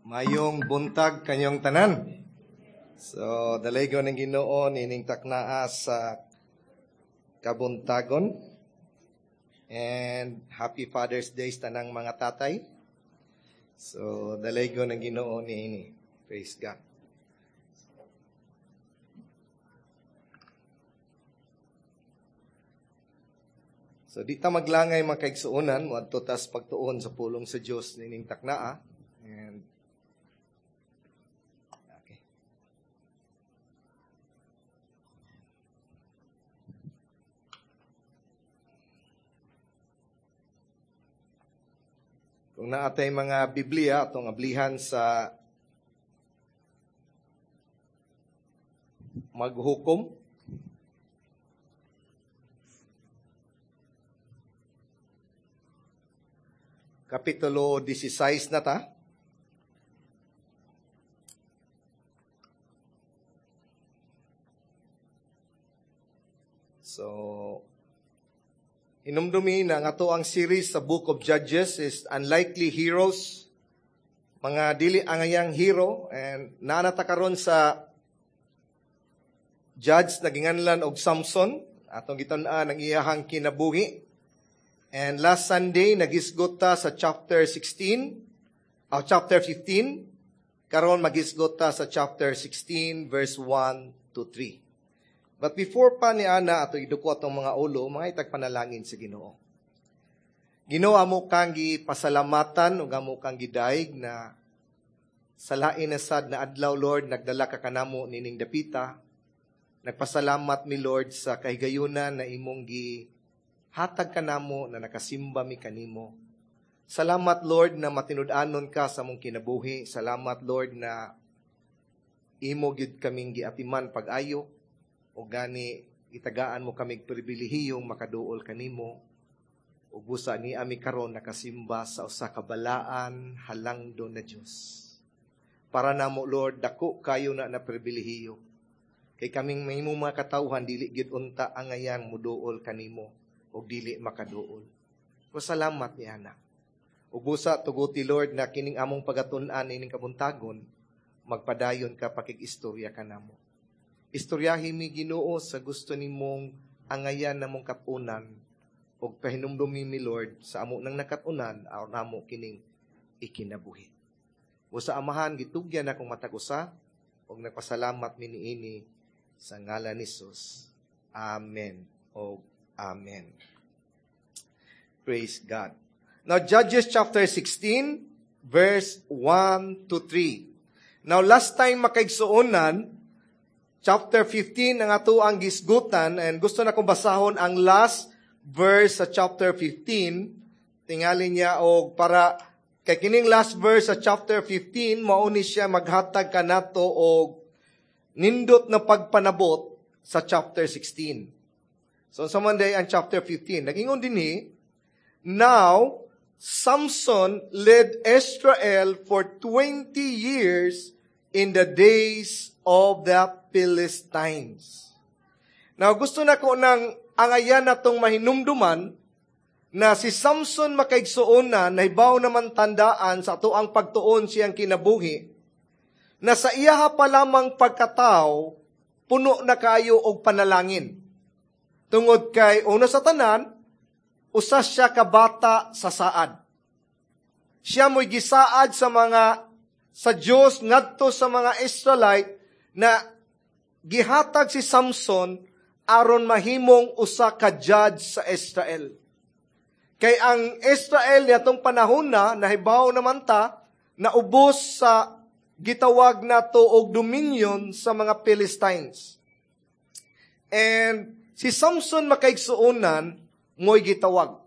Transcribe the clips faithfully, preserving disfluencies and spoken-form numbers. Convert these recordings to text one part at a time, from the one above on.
Mayong buntag kanyong tanan. So, dalaygon ng Ginoo nining taknaa sa kabuntagon. And happy Father's Day sa tanang mga tatay. So, dalaygon ng Ginoo niini. Praise God. So, di ta maglangay mga kaigsuonan, moadto tas pagtuon sa pulong sa Dios nining taknaa. And okay. Kung naatay mga Biblia atong ablihan sa maghukom. Kapitulo sixteen na ta. So, inumdumi na nga to ang series sa Book of Judges is Unlikely Heroes. Mga dili angayang hero, and naanata karon sa judge na ginganlan og Samson, atong gitan-an ang iyahang kinabuhi. And last Sunday nagisgot ta sa chapter sixteen, o chapter fifteen. Karon magisgot ta sa chapter sixteen verse one to three. But before pa ni ana ato iduko atong mga ulo, mga itagpanalangin sa Ginoo. Ginoo, amo kang gipasalamatan ug amo kang gidaig na sa lain na sad na adlaw, Lord, nagdala ka kanamo nining dapita. Nagpasalamat mi, Lord, sa kahigayunan na imong gihatag kanamo na nakasimba mi kanimo. Salamat, Lord, na matinud-anon ka sa among kinabuhi. Salamat, Lord, na imo gyud kaming giatiman pag-ayo. O gani gitagaan mo kamig pribilehiyong makaduol kanimo. O busa ni ami karon nakasimba sa usa ka balaan halangdon na Dios. Para namo, Lord, dako kayo na na pribilehiyo. Kay kaming mahimong mga katawhan dili gyud unta angayan muduol kanimo o dili makaduol. O salamat ni ana. O busa tuguti, Lord, na kining among pagatun-an ining kabuntagon, magpadayon ka pakig-istorya kanamo. Istoryahi mi, Ginoo, sa gusto nimong angayan namong katunan ug pahinumdumi mi, Lord, sa amo nang nakatunan aron namo kining ikinabuhi. Busa Amahan, gitugyan akong matag usa ug nagpasalamat mi niini sa ngalan ni Jesus. Amen o amen. Praise God. Now, Judges chapter sixteen, verse one to three. Now, last time makaigsuonan, chapter fifteen ang ato ang gisgutan, and gusto na kong basahon ang last verse sa chapter fifteen. Tingali niya og para kay kining last verse sa chapter fifteen mao ni siya maghatag kanato og nindot na pagpanabot sa chapter sixteen. So sa man day ang chapter fifteen, nagingon dinhi, now Samson led Israel for twenty years in the days of the Philistines. Now, gusto na ko nang angayan na tong mahinumduman na si Samson makaigsuon na nahibaw naman tandaan sa ato ang pagtuon siyang kinabuhi, na sa iyaha pa lamang pagkatao, puno na kayo og panalangin. Tungod kay una sa tanan, usa siya ka bata sa saad. Siya mo'y gisaad sa mga sa Dios ngadto sa mga Israelite na gihatag si Samson aron mahimong usa ka judge sa Israel. Kay ang Israel niadtong panahon na nahibaw naman ta naubos sa gitawag nato og dominion sa mga Philistines. And si Samson makaigsuonan mo'y gitawag.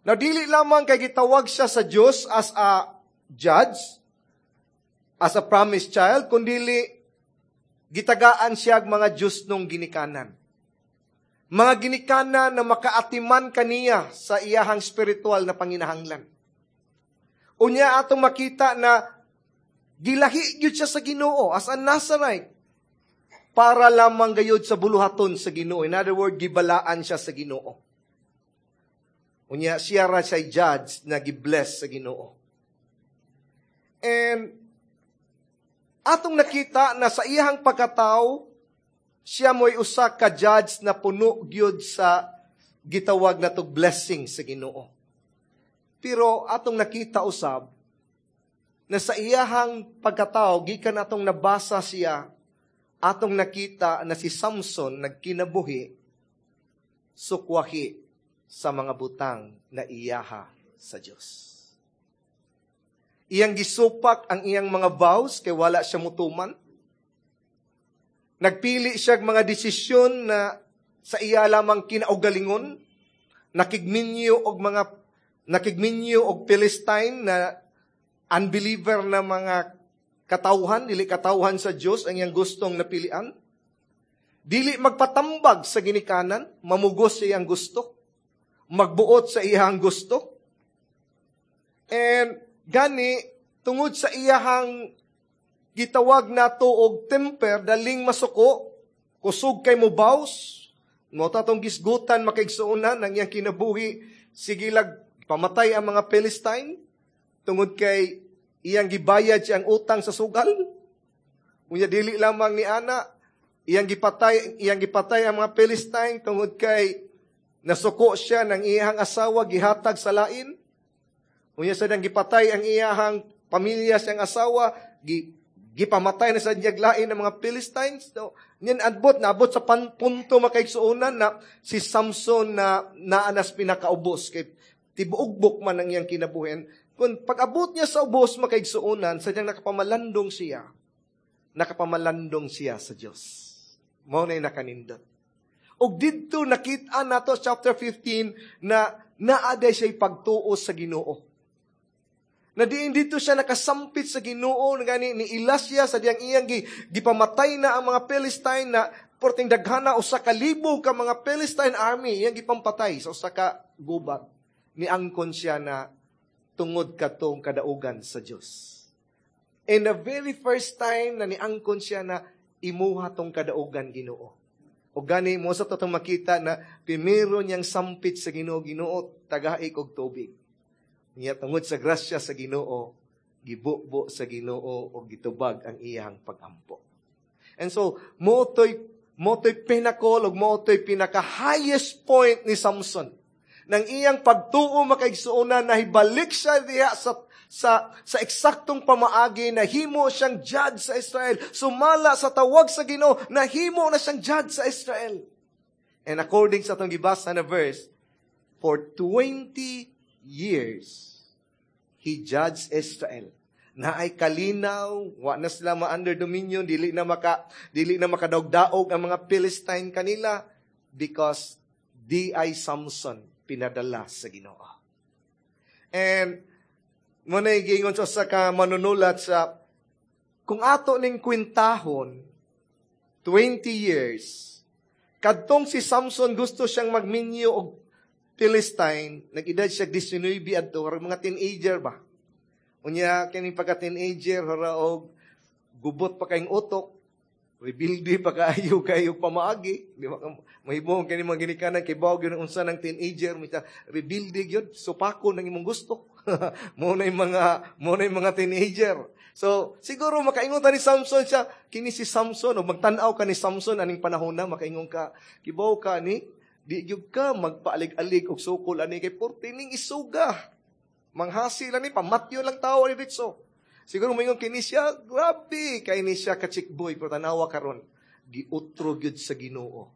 Now dili lamang kay gitawag siya sa Dios as a judge, as a promised child, kundili gitagaan siya og mga Diyos nung ginikanan. Mga ginikanan na makaatiman kaniya sa iyahang spiritual na panginahanglan. Unya atong makita na gilahi gyud siya sa Ginoo as a Nazarite para lamang gayud sa buluhaton sa Ginoo. In other words, gibalaan siya sa Ginoo. Unya siya ra siya judge na gibless sa Ginoo. And Atong nakita na sa iyang pagkatao, siya mo'y usa ka judge na puno gyud sa gitawag na tog blessing sa Ginoo. Pero atong nakita usab na sa iyahang pagkatao, gikan atong nabasa siya, atong nakita na si Samson nagkinabuhi sukwahi sa mga butang na iyaha sa Dios. Iyang gisupak ang iyang mga vows kay wala siya mutuman. Nagpili siya mga desisyon na sa iya lamang kinaugalingon. Nakigminyo og mga nakigminyo og Philistine na unbeliever na mga katawhan, dili katawhan sa Dios ang iyang gustong napilian. Dili magpatambag sa ginikanan, mamugos sa iyang gusto, magbuot sa iyang gusto. And gani, tungod sa iyahang gitawag nato og temper, daling masuko, kusog kay mubaws, mao atong gisgutan makaigsuonan ang iyang kinabuhi, sige lag pamatay ang mga Philistine, tungod kay iyang gibayad siyang utang sa sugal. Unya dili lamang ni ana, iyang gipatay, iyang gipatay ang mga Philistine tungod kay nasuko siya ng iyang asawa gihatag sa lain. Unya sa nang gipatay ang iyahang pamilya siyang asawa, gi, gipamatay na sa lain ng mga Philistines. So, niyan abot, naabot sa pan, punto makaigsuonan na si Samson na naanas pinakaubos. Kay tibuogbok man ang iyang kinabuhin. Kung pag-abot niya sa ubos makaigsuonan, sadyang nakapamalandong siya. Nakapamalandong siya sa Diyos. Mao na nakanindot. Og didto nakita nato chapter fifteen na naa diay siya pagtuo sa Ginoo. Na diin dito siya nakasampit sa Ginoo, ngani niila siya sa diyang iyang gipamatay na ang mga Philistine na porting daghana usa ka libo ka mga Philistine army iyang gipampatay sa usa ka gubat. Niangkon siya na tungod katong kadaugan sa Dios. And the very first time na niangkon siya na imuha tong kadaugan, Ginoo. O gani mo sa totong makita na primero niyang sampit sa Ginoo, "Ginoo, tagai kog tubig." Niya tungod sa grasya sa Ginoo, gibubo sa Ginoo o gitubag ang iyang pagampo. And so, motoy motoy pinnacle ug motoy pinaka highest point ni Samson. Nang iyang pagtuo makaigsuonan na hibalik siya diha sa sa sa eksaktong pamaagi na himo siyang judge sa Israel. Sumala sa tawag sa Ginoo, nahimo na siyang judge sa Israel. And according sa atong gibasa na verse, for twenty years, he judged Israel. Na ay kalinaw, wa na sila ma-under dominion, dili na maka dili na makadaog-daog ang mga Philistine kanila because di ay Samson pinadala sa Ginoo. And mo na giingon sa usa ka manunulat sa kung ato ning kwentahon twenty years kadtong si Samson gusto siyang magminyo og Philistine, nag-edad siya nineteen adto, mga teenager ba? Unya kining pagka-teenager hara og gubot pa kayong utok, rebelde pa kaayo kayo pamaagi, di ba? Mahimong kini mga ginikanan kay bawo gyud unsa ng teenager, mita rebelde gyud, supako ng imong gusto. Mo na yung mga mo na yung mga teenager. So, siguro makaingon ta ni Samson siya, kini si Samson o magtan-aw ka ni Samson aning panahon na makaingon ka, kibaw ka ni di gyud ka magpaalig-alig og sukol ani kay porte ning isuga. Manghasi lang ni pamatyo lang tawo ni ditso. Siguro moingon kini siya, grabe kay ni siya ka chick boy, pero tanawa karon giutro gyud sa Ginoo.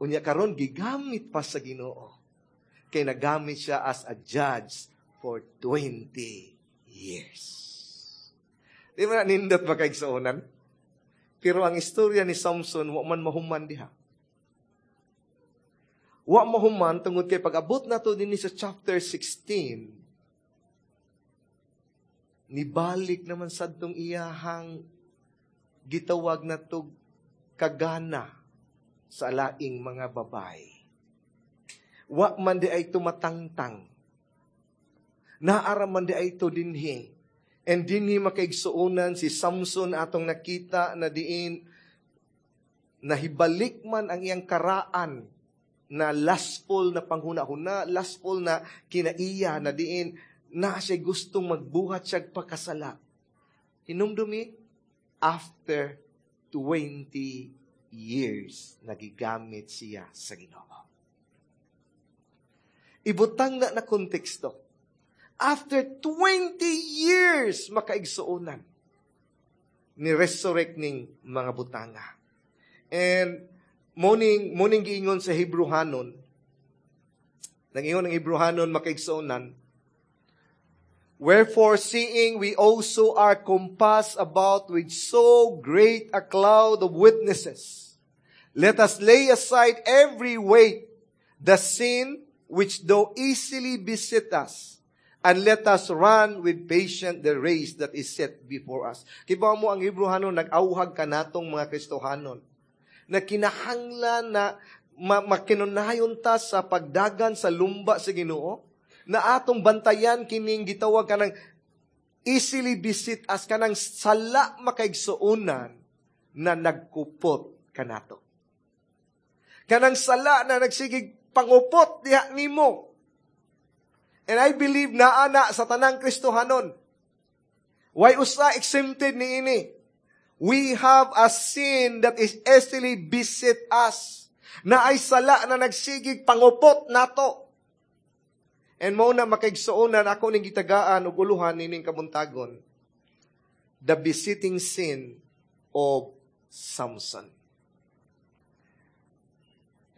Unya karon gigamit pa sa Ginoo. Kay nagamit siya as a judge for twenty years. Di ba nindot ba kaigsuonan? Pero ang istorya ni Samson wa man mahuman diha. Wa mahuman tungod kay pag-abot nato dinhi sa chapter sixteen, nibalik naman sadtong iyahang gitawag na tog kagana sa laing mga babay. Wa man di ay tumatangtang. Naara man di ay to dinhi. And dinhi makaigsuonan si Samson atong nakita na diin nahibalik man ang iyang karaan na lustful na panghuna-huna, lustful na kinaiya na diin na siya gustong magbuhat siya pagkasala. Hinumdumi, After twenty years, nagigamit siya sa Ginoo. Ibutang na na konteksto. After twenty years, makaigsuonan, ni resurrect ning mga butanga. And morning, morning giingon sa Hebrehanon, nangingon ang Hebrehanon, makaigsuonan, "Wherefore, seeing we also are compassed about with so great a cloud of witnesses, let us lay aside every weight, the sin which do easily beset us, and let us run with patience the race that is set before us." Kibaw mo ang Hebrehanon nag-awhag kanatong mga Kristohanon na kinahanglan na ma- makinunayon ta sa pagdagan sa lumba sa Ginoo, na atong bantayan kining gitawag kanang easily beset us, kanang sala, makaigsuonan, na nagkupot kanato. Kanang sala na nagsigig pangupot diha nimo. And I believe naa na sa tanang Kristohanon. Way usa exempted ni ini. We have a sin that is easily beset us. Na ay sala na nagsigig pangupot nato. And mao na, makaigsuonan, ako ning gitagaan og uluhan nining kabuntagon, the besetting sin of Samson.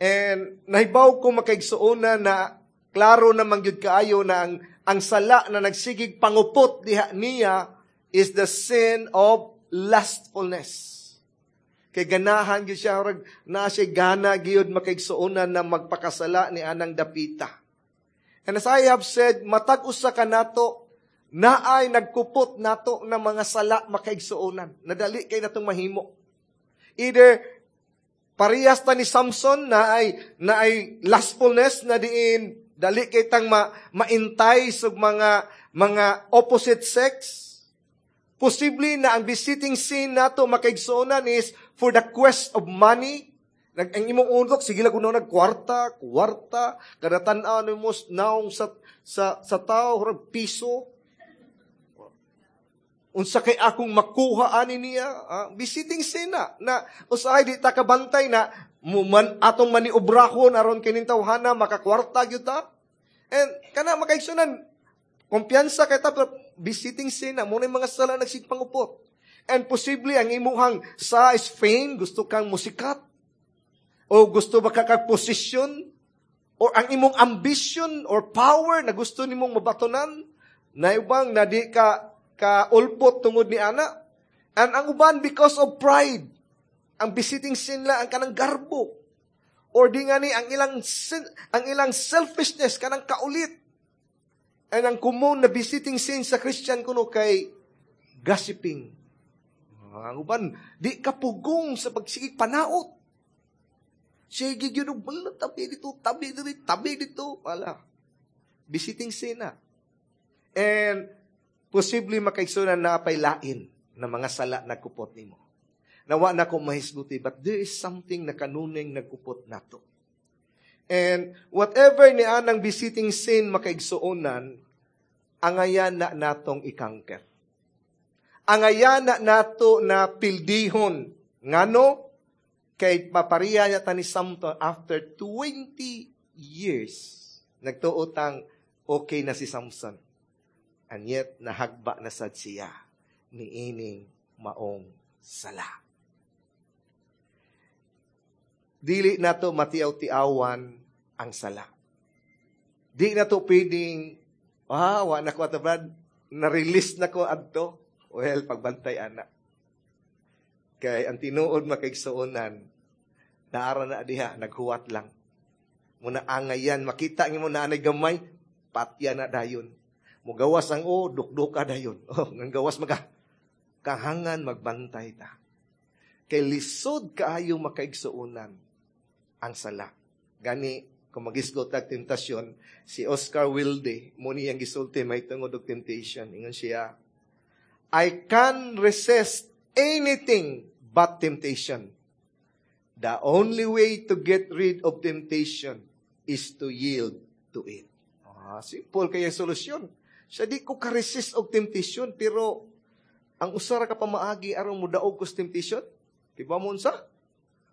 And nahibaw ko, makaigsuonan, na klaro naman gyud kaayo na ang, ang sala na nagsigig pangupot diha niya is the sin of lustfulness. Kay ganahan gyud siya, na siya gana gyud, makaigsuonan, na magpakasala ni anang dapita. And as I have said, matag usa ka nato naay nagkupot nato ng mga sala, makaigsuonan. Nadali kay natong mahimo. Either parehas ta ni Samson na ay na ay lustfulness na diin dali kay tang ma, ma-entice og mga mga opposite sex. Posible na ang besetting sin nato, makaigsuonan, is for the quest of money. Nag, ang imong utok, sige lang kuno nagkwarta, kwarta, kada tan-aw nimo naong sa sa sa tao, murag piso. Unsa kay akong makuha ani niya? Ah, besetting sin na, na usahay di ta kabantay na man, atong maniobrahon aron kining tawhana makakwarta gyud ta. And kana, makaigsunan, kumpiyansa kay ta, pero besetting sin na mo na mga sala nagsigpangupot. And posible ang imuhang sa is fame, gusto kang musikat o gusto ba ka kag posisyon or ang imong ambition or power na gusto nimong mabatonan na ubang na di ka ka ulpot tungod ni ana. And ang uban because of pride. Ang besetting sin la ang kanang garbo. Or di nga ni ang ilang sin, ang ilang selfishness, kanang kaulit. And ang common na besetting sin sa Christian kuno kay gossiping. Ang uban di ka pugong sa pagsigig panaot. Sige gyud og bala, tabi dito, tabi dito, tabi dito, wala. Besetting sin na. And posible, makaigsunan, na pay lain na mga sala nagkupot nimo. Nawa na ko mahisguti, but there is something na kanuning nagkupot nato. And whatever ni anang besetting sin, makaigsuonan, angayan na natong i-conquer. Angayan na nato na pildihon. Ngano? Kay mapariya niya ta ni Samson after twenty years. Nagtuo tang okay na si Samson. And yet, nahagba na sad siya ni ining maong sala. Dili nato matiaw-tiawan ang sala. Di na to pwedeng, "Ah, wa na ko ato, Brad, na-release na ko adto." Well, pagbantay ana. Kay ang tinuod, makaigsuonan, naara na diha, naghuwat lang. Muna angayan, makita mo na anay gamay, patya na dayon. Mugawas ang o, dukduka dayon. Oh, nang gawas maga. Kahangan magbantay ta. Kay lisod kaayo, makaigsuonan, ang sala. Gani, kung magisgot tag tentasyon, si Oscar Wilde, mo niyang gisulti may tungod og temptation. Ingon siya, "I can resist anything but temptation. The only way to get rid of temptation is to yield to it." Ah, simple kaya solusyon. Siya, di ko ka-resist og temptation, pero Ang usa ra ka pamaagi aron modaog ko sa temptation, kibaw mo unsa?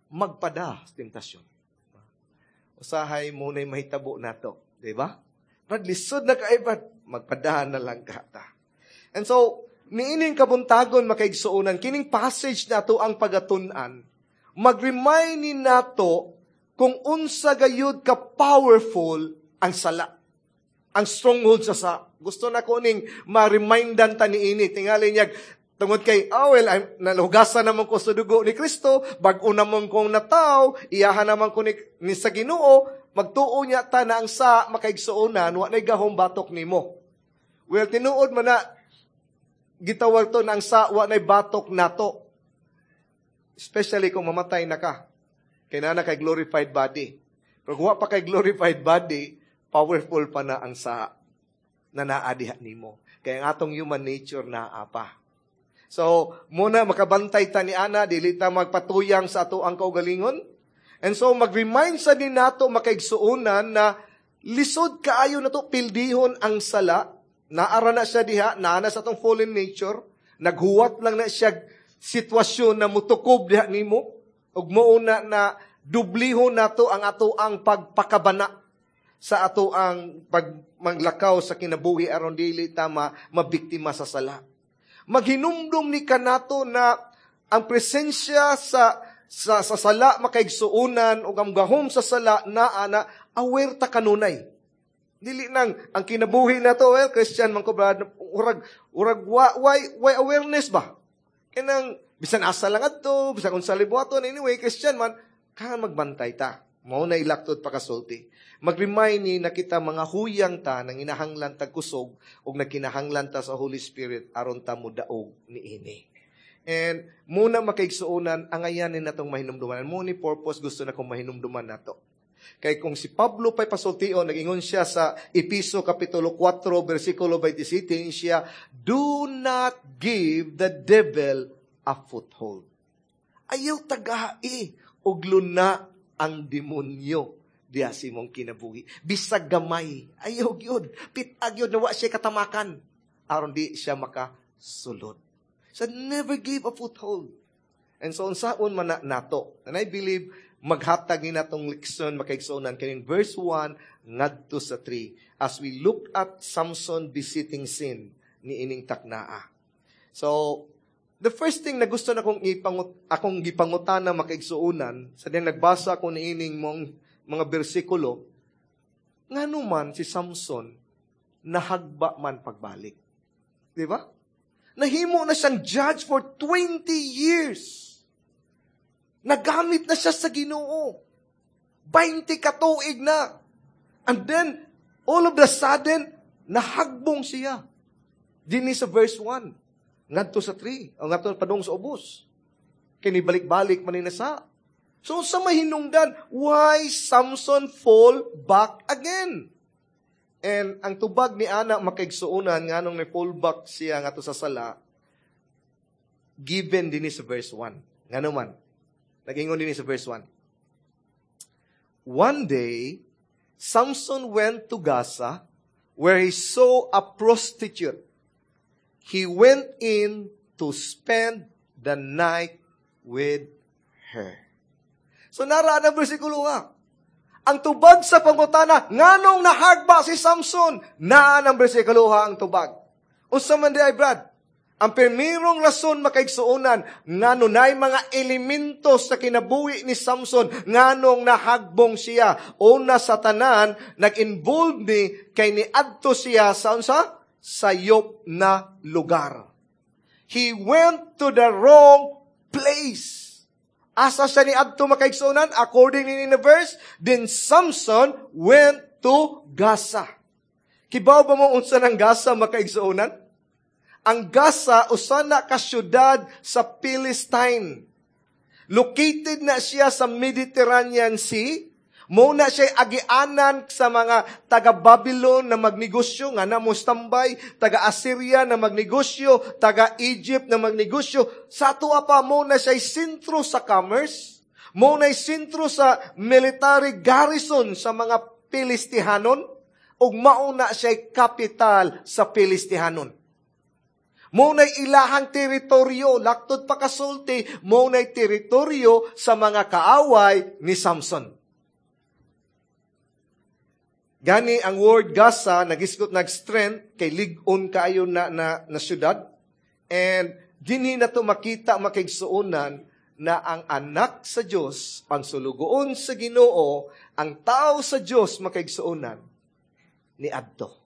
Magpada sa temptasyon. Usahay mao na'y mahitabo nato, di ba? Brad, lisod na kay Brad, magpadahan na lang ka ta. And so, niining kabuntagon makaigsuonan, kining passage nato ang pagatun-an, mag-remind ni nato kung unsa gayud ka powerful ang sala. Ang stronghold sa sa. Gusto na ko ning ma-remindan ta niini. Tingali niya, tungod kay, oh well, I'm, nalugasan naman ko sa dugo ni Kristo, bag-o naman kong nataw, iyahan naman ko ni, ni sa Ginoo, magtuo niya ta na ang sa makaigsuonan, wa na'y gahom batok nimo. Well, tinuod man na, gitawag to na ang sa wa na'y batok nato. Especially kung mamatay na ka. Kay naa na kay glorified body. Pero kung wa pa kay glorified body, powerful pa na ang sa na naa diha nimo. Kaya ang atong human nature naa pa. So, muna makabantay ta ni ana, dili ta magpatuyang sa ato ang kaugalingon. And so, mag-remind sa din nato makaigsuonan na lisod kaayo na to pildihon ang sala. Naara na siya diha, naa na sa atong fallen nature. Naghuwat lang na siya sitwasyon na mutukob diha nimo. Ug mao na na dublihon nato ang ato ang pagpakabana sa ato ang pagmanglakaw sa kinabuhi aron dili ta ma mabiktima sa sala. Maghinumdum ni kanato na ang presensya sa sa, sa sala makaigsuonan ug ang gahom sa sala naa na aware ta kanunay. Dili nang ang kinabuhi nato, well, Christian man ko brad, urag urag wa, why why awareness ba? Kanang bisan asa lang adto, bisan unsa libuhaton, anyway Christian man, kailangan magbantay ta. Mao na ilaktod pakasulti. Mag-remind ni na kita mga huyang ta nang inahanglan tag kusog ug nagkinahanglan ta sa Holy Spirit aron ta modaog niini. And muna makaigsuonan angayan ni natong mahinumduman. Mo ni purpose gusto na kong mahinumduman nato. Kay kung si Pablo pa'y pasultion, nag-ingon siya sa Episo Kapitulo four, versikulo twenty-seven, siya, "Do not give the devil a foothold." Ayaw tagai og luna ang demonyo diya sa imong kinabuhi. Bisag gamay, ayaw gyud. Pitag gyud na wa siya katamakan. Aron di siya makasulod. So never give a foothold. And so unsaon man na nato. And I believe maghatag ni natong leksyon makaigsuonan kining verse one ngadto sa three as we look at Samson visiting sin ni ining taknaa. So the first thing na gusto na kong ipangut akong gipangutana makaigsuonan sa diyang nagbasa ko niining mong mga bersikulo, ngano man si Samson nahagba man pagbalik. Di ba? Nahimo na siyang judge for twenty years. Nagamit na siya sa Ginoo. twenty katuig na. And then, all of the sudden, nahagbong siya. Dini sa verse one. Ngadto sa three. O ngadto padung sa ubos. Kini balik-balik man ni sa. So, sa mahinungdan, why Samson fall back again? And ang tubag ni ana makaigsuonan nganong ni fall back siya ngadto sa sala, given dinhi sa verse one. Ngano man? Nag-ingon dinhi sa verse one. One day, Samson went to Gaza, where he saw a prostitute. He went in to spend the night with her. So naraan ang bersikulo ha. Ang tubag sa pangutana, nganong nahagba si Samson? Naan ang bersikulo ha ang tubag. Unsa man di ay, Brad? Ang primerong rason makaigsuonan, ngano na'y mga elemento sa kinabuhi ni Samson, nganong nahagbong siya. Una sa tanan, nag-involve ni kay niadto siya sa unsa? Sayop na lugar. He went to the wrong place. Asa siya ni adto makaigsuonan? According in the verse, then Samson went to Gaza. Kibaw ba mo unsa ng Gaza makaigsuonan? Ang Gaza, usa na ka syudad sa Palestine. Located na siya sa Mediterranean Sea. Mo na siya agianan sa mga taga-Babylon na magnegosyo, nga na mo standby, taga-Assyria na magnegosyo, taga-Egypt na magnegosyo. Sa ato pa, mo na siya sentro sa commerce, mo na sentro sa military garrison sa mga Pilistihanon, ug mao na siya kapital sa Pilistihanon. Mao nay ilahang teritoryo, laktod pa kasulti, mao nay teritoryo sa mga kaaway ni Samson. Gani ang word Gaza nagisgot nag strength kay lig-on kaayo na, na, na syudad. And dinhi na to makita makaigsuonan na ang anak sa Dios, ang sulugoon sa Ginoo, ang tao sa Dios makaigsuonan ni adto.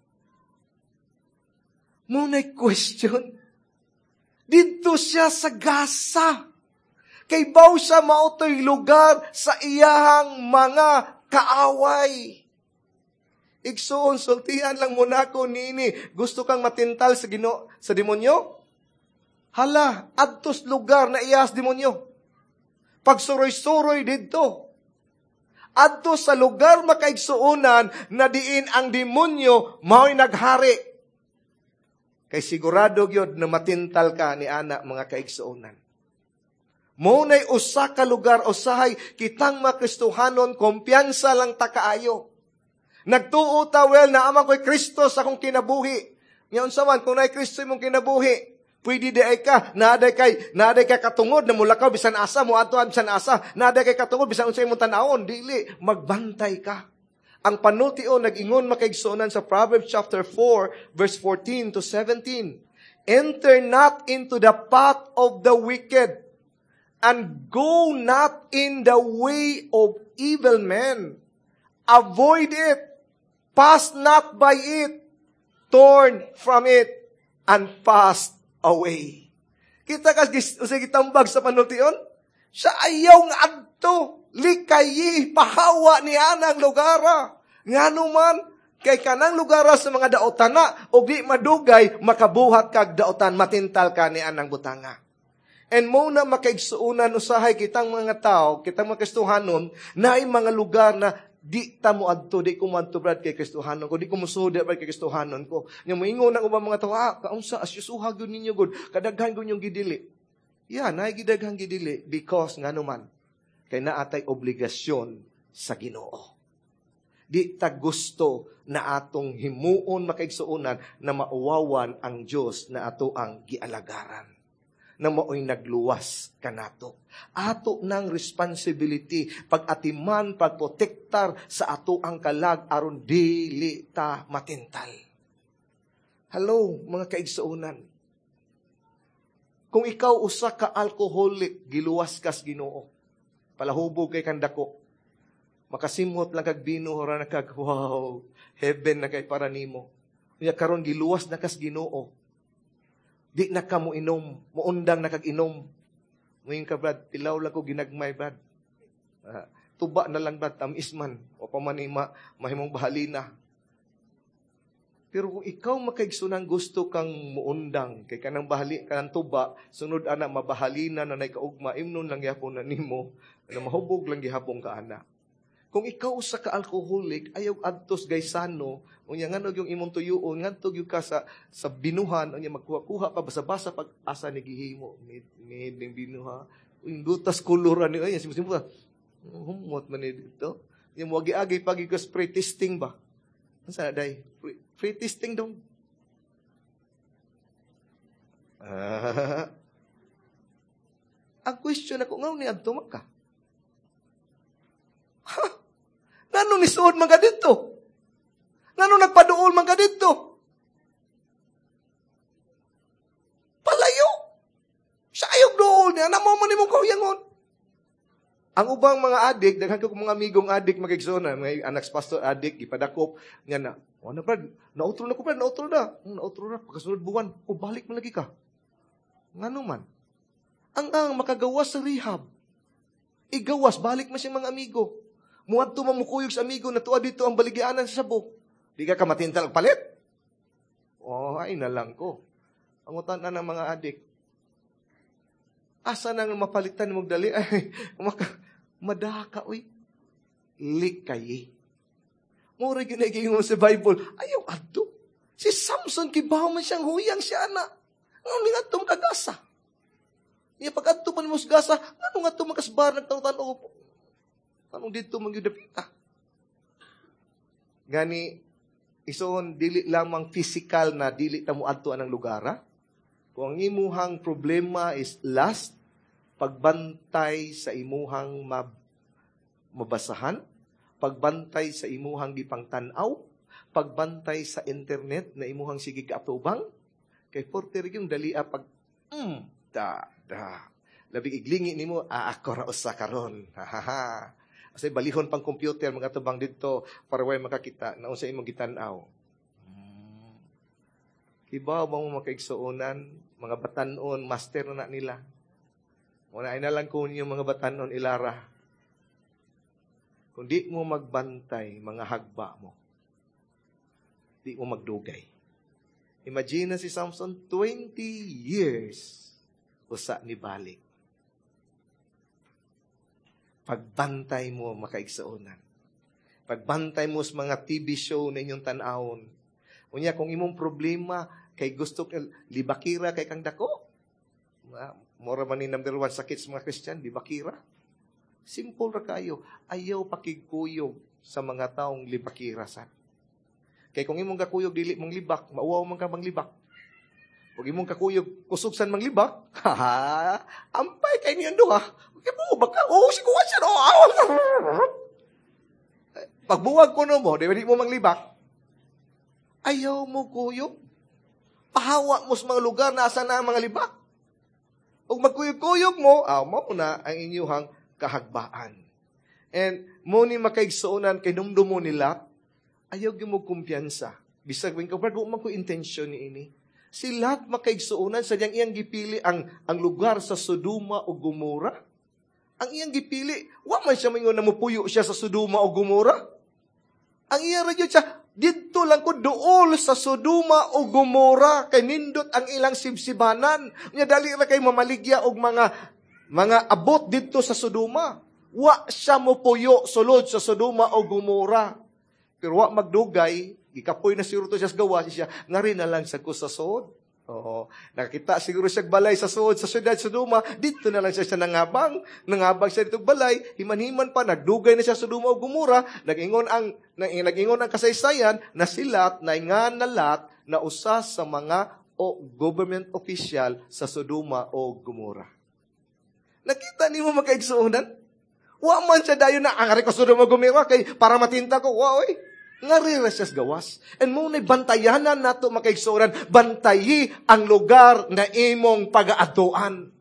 Mao nay question. Didto siya sa Gaza. Kay baw siya mao to'y lugar sa iyahang mga kaaway. Igsuon, sultihan lang muna ko nini. Gusto kang matintal sa Ginoo, sa demonyo? Hala, adtos lugar na iyas demonyo. Pagsuroy-suroy didto. Adto sa lugar makaigsuonan na diin ang demonyo mao'y naghari. Kay sigurado gyud na matintal ka ni ana mga kaigsuonan. Mao nay usa ka lugar usahay kitang mga Kristohanon kumpiyansa lang ta kaayo. Nagtuo ta well na amang ko'y Kristo sa akong kinabuhi. Nya unsa man kung naay Kristo imong kinabuhi, pwede di ay ka, naaday kay, naaday kay katungod na mulakaw bisan asa, moadto bisan asa, naaday kay katungod bisan unsa imong tan-awon, dili magbantay ka. Ang panultion nag-ingon makaigsuonan sa Proverbs chapter four verse fourteen to seventeen. Enter not into the path of the wicked, and go not in the way of evil men. Avoid it, pass not by it, turn from it, and pass away. Kita ka, usay gitambag sa panultion? Siya ayaw nga adto, likayi, pahawa ni anang lugara. Ngano man, kay kanang lugara sa mga daotan na, og di madugay, makabuhat kag daotan, matintal ka ni anang butanga. And mo na makaigsuonan usahay kitang mga tao, kitang mga Kristohanon, na ay mga lugar na di ta mo adto, di ko moadto brad kay Kristohanon ko, di ko mosuod brad kay Kristohanon ko. Nya moingon ang ubang mga tao, ah, kaunsa asyusuha gyud ninyo gud, kadaghan gyud yung gidili. Yeah, naay gidaghan gidili because ngano man kay naatay obligasyon sa Ginoo. Di ta gusto na atong himuon makaigsuonan na mauwawan ang Dios na ato ang gialagaran, na mao'y nagluwas kanato. Ato ng responsibility pag-atiman, pagprotektar sa ato ang kalag aron dili ta matintal. Hello, mga kaigsuonan. Kung ikaw usa ka alcoholic, giluwas kas Ginoo. Palahubog kay kandako. Makasimhot lang kag bino, ora na kag wow, heaven na kay para nimo. Unya karon giluwas na kas Ginoo. Di na ka mo inom, muundang na kag inom. Ngayon ka, Brad, tilaw lang ko ginagmay, Brad. Uh, tuba na lang, Brad, tamis man. O pa man ma, mahimong bahalina. Pero kung ikaw makaigsunang gusto kang muundang, kay kanang bahali, kanang tuba, sunod ana, mabahalina na nay kaugma, imnon lang gihapon na nimo, na mahubog lang gihapon ka ana. Kung ikaw usa ka alcoholic, ayaw adtos gaysano, unya nganog yung imong tuyuon, ngadto gyud ka sa sa binuhan, unya magkuha-kuha pa basa-basa pag asa ni gihimo, mid mid ning binuha, yung dutas kolor ani ay simbo humot man ni dito. Yung moagi-agi pag spray testing ba? Unsa na day? Free, free testing dong. Ah. Ang question ako, ngano ni adto man ka? Ha? Ngano ni suod man ka dito? Ngano nagpaduol man ka dito? Palayo! Sa ayog duol niya, namo man nimong kahuyangon. Ang ubang mga adik, daghan ko mga amigong adik magigsoon, mga anak sa pastor adik, ipadakop, nga na, o na brad, nautro na ko brad, nautro na. Nautro na, pagkasunod buwan, o balik man lagi ka. Ngano man? Ang ang makagawas sa rehab, igawas, balik man siyang mga amigo. Muadto man mukuyog sa amigo, natuwa dito ang baligyanan sa sabo. Di ka kamatintal og palit? Oh, ay na lang ko. Ang utan na ng mga adik. Asa nang mapalitan mong dali? Ay, maka, madaka, uy. Likayi. Mura ginaging sa Bible. Ayaw, adto. Si Samson, kibaw man siyang huyang siya, na. Ano nga itong kagasa? Niya, pag adto man mo sa gasa, ano nga itong makasbar, nagtanong-tanong, anong dito magyudapita? Gani, ison, dili lamang physical na dili ta mo adto anang lugar, ha? Kung ang imuhang problema is lust, pagbantay sa imuhang mab- mabasahan, pagbantay sa imuhang gipangtan-aw, pagbantay sa internet na imuhang sige kaatubang, kay forte yung dalia pag mm, da da. Labi iglingi nimo, ah, ako ra usa karon. Ha ha ha. Kasi balihon pang computer mga tubang didto para way makakita na unsa imong gitan-aw. Hmm. Kibaw ba mo makaigsuonan, mga batanon, master na, na nila. Muna ay na lang kung yung mga batanon ilara. Kung di mo magbantay, mga hagba mo, di mo magdugay. Imagine na si Samson, twenty years, usa ni balik. Pagbantay mo, makaigsuonan. Pagbantay mo sa mga T V show na inyong tanawon. Unya, kung imong problema, kay gusto ka, libakira kay kang dako. Mora man ni number one sakit sa mga Christian, libakira. Simple ra kayo. Ayaw pakigkuyog sa mga taong libakira sad. Kay kung imong kakuyog dili mong libak, mauwaw man ka mang libak. Kung imong kakuyog kusog san manglibak, ha, ampay kay niyan duha. Kay mo ba ka? Oh, si kuha siya. Oh, pagbuwag ko no mo, di ba di mo manglibak? Ayaw mo kuyog. Pahawa mo sa mga lugar na asa na ang mga libak. Ug magkuyog-kuyog mo, ah, mao na ang inyuhang kahagbaan. And mo ni makaigsuonan kay numdum mo nila, ayaw gyud mo kumpiyansa. Bisag wing ka, man ko intensyon ni ini. Si Lot makaigsuonan sa diyang iyang gipili ang ang lugar sa Sodoma o Gomora. Ang iyang gipili, wa man siya mingon na mupuyo siya sa Sodoma o Gomora. Ang iya ra siya, didto lang ko duol sa Sodoma o Gomora kay nindot ang ilang sibsibanan. Nya dali ra kay mamaligya og mga mga abot didto sa Sodoma. Wa siya mopuyo sulod sa Sodoma o Gomora. Pero wa magdugay, gikapoy na siguro to siya sa gawas siya, ngari na lang sa ko sa sod. Oo. Nakita siguro siya balay sa sod, sa syudad Sodoma, dito na lang siya siya nangabang. Nangabang siya dito balay, himan-himan pa, nagdugay na siya sa Sodoma o Gomora, nag-ingon ang, nag-ingon ang kasaysayan na si Lot, na nga na Lot, na usa sa mga o government official sa Sodoma o Gomora. Nakita nimo makaigsuonan? Wa man siya dayon na, ang ko Sodoma o Gomora, kay para matinta ko, wa oy. Ngari ra siya gawas. And mo na bantayanan nato makaigsuonan, bantayi ang lugar na imong pagaadtuan.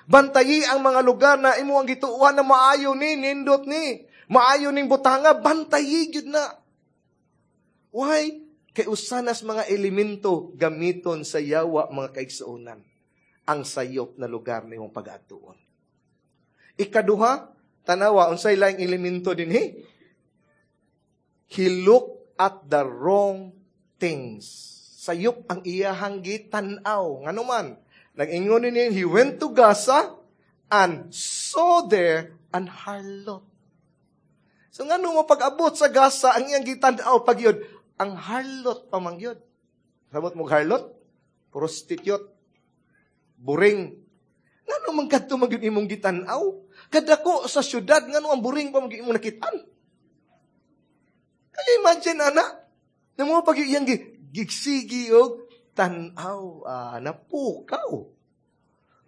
Bantayi ang mga lugar na imo ang gituohan na maayo ni, nindot ni, maayo ning butanga, bantayi gyud na. Why? Kay usanas mga elemento gamiton sa yawa mga kaigsuonan ang sayop na lugar na imong pagaadtuon. Ikaduha, tanawa unsay laing elemento dinhi? He looked at the wrong things. Sayop ang iyahang gitan-aw. Ngano man, nag-ingon ni he went to Gaza and saw there an harlot. So ngano mo pag-abot sa Gaza ang iyang gitan-aw pag yun, ang harlot pa man gyud. Sabot mo harlot? Prostitute. Buring. Ngano man kadto man gyud imong gitan-aw? Kadako sa syudad ngano ang buring pa man gyud imong nakitaan? Kaya imagine, ana, na mo pag iyang gigsigi og tan-aw, ah, napukaw.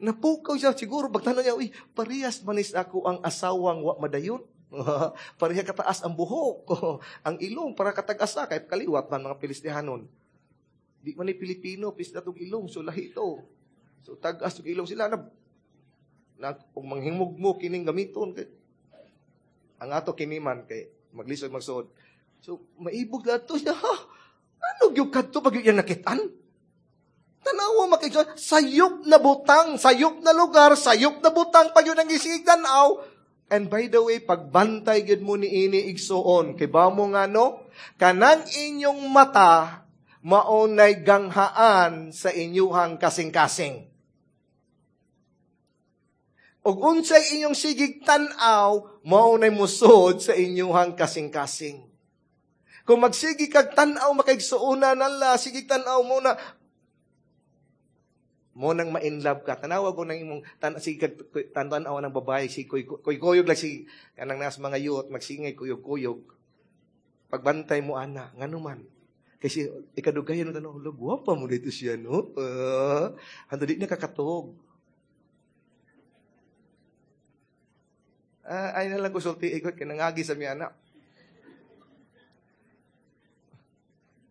Napukaw siya siguro pagtanaw niya, uy, parehas manis ako ang asawang wa madayon. Pareha kataas ang buhok, ang ilong para katag-asa kay kaliwat man mga Pilistihanon. Di man ni Pilipino, pis na ilong, so lahi to. So tag-as tug ilong sila na na kung manghimog mo kining gamiton kay ang ato kini man kay maglisod magsuod. So maibog na to siya. Ha? Ano gyud kadto pag iyang nakitaan? Tanawa makigsuon, sayop na butang, sayop na lugar, sayop na butang pag yun ang gisigdan tanaw. And by the way, pagbantay gyud mo ni ini igsuon, kay ba mo nga no? Kanang inyong mata maunay ganghaan sa inyuhang kasing-kasing. Ug unsay inyong sigig tan-aw, maunay musod sa inyuhang kasing-kasing. Kung magsigi kag tan-aw makaigsuonan nala, sige tan-aw mo na mo nang ma-inlove ka. Tanawa ko nang imong tan sige kag tan-aw ng babae si kuy kuy kuyog lang si kanang nas mga youth magsingay kuyog-kuyog. Pagbantay mo ana, ngano man. Kasi ikadugayan mo tanong, "Hala, gwapa mo dito siya, no?" Uh, hantod di na kakatog. Uh, ay na lang kusulti, ikot, kinangagi sa mi anak.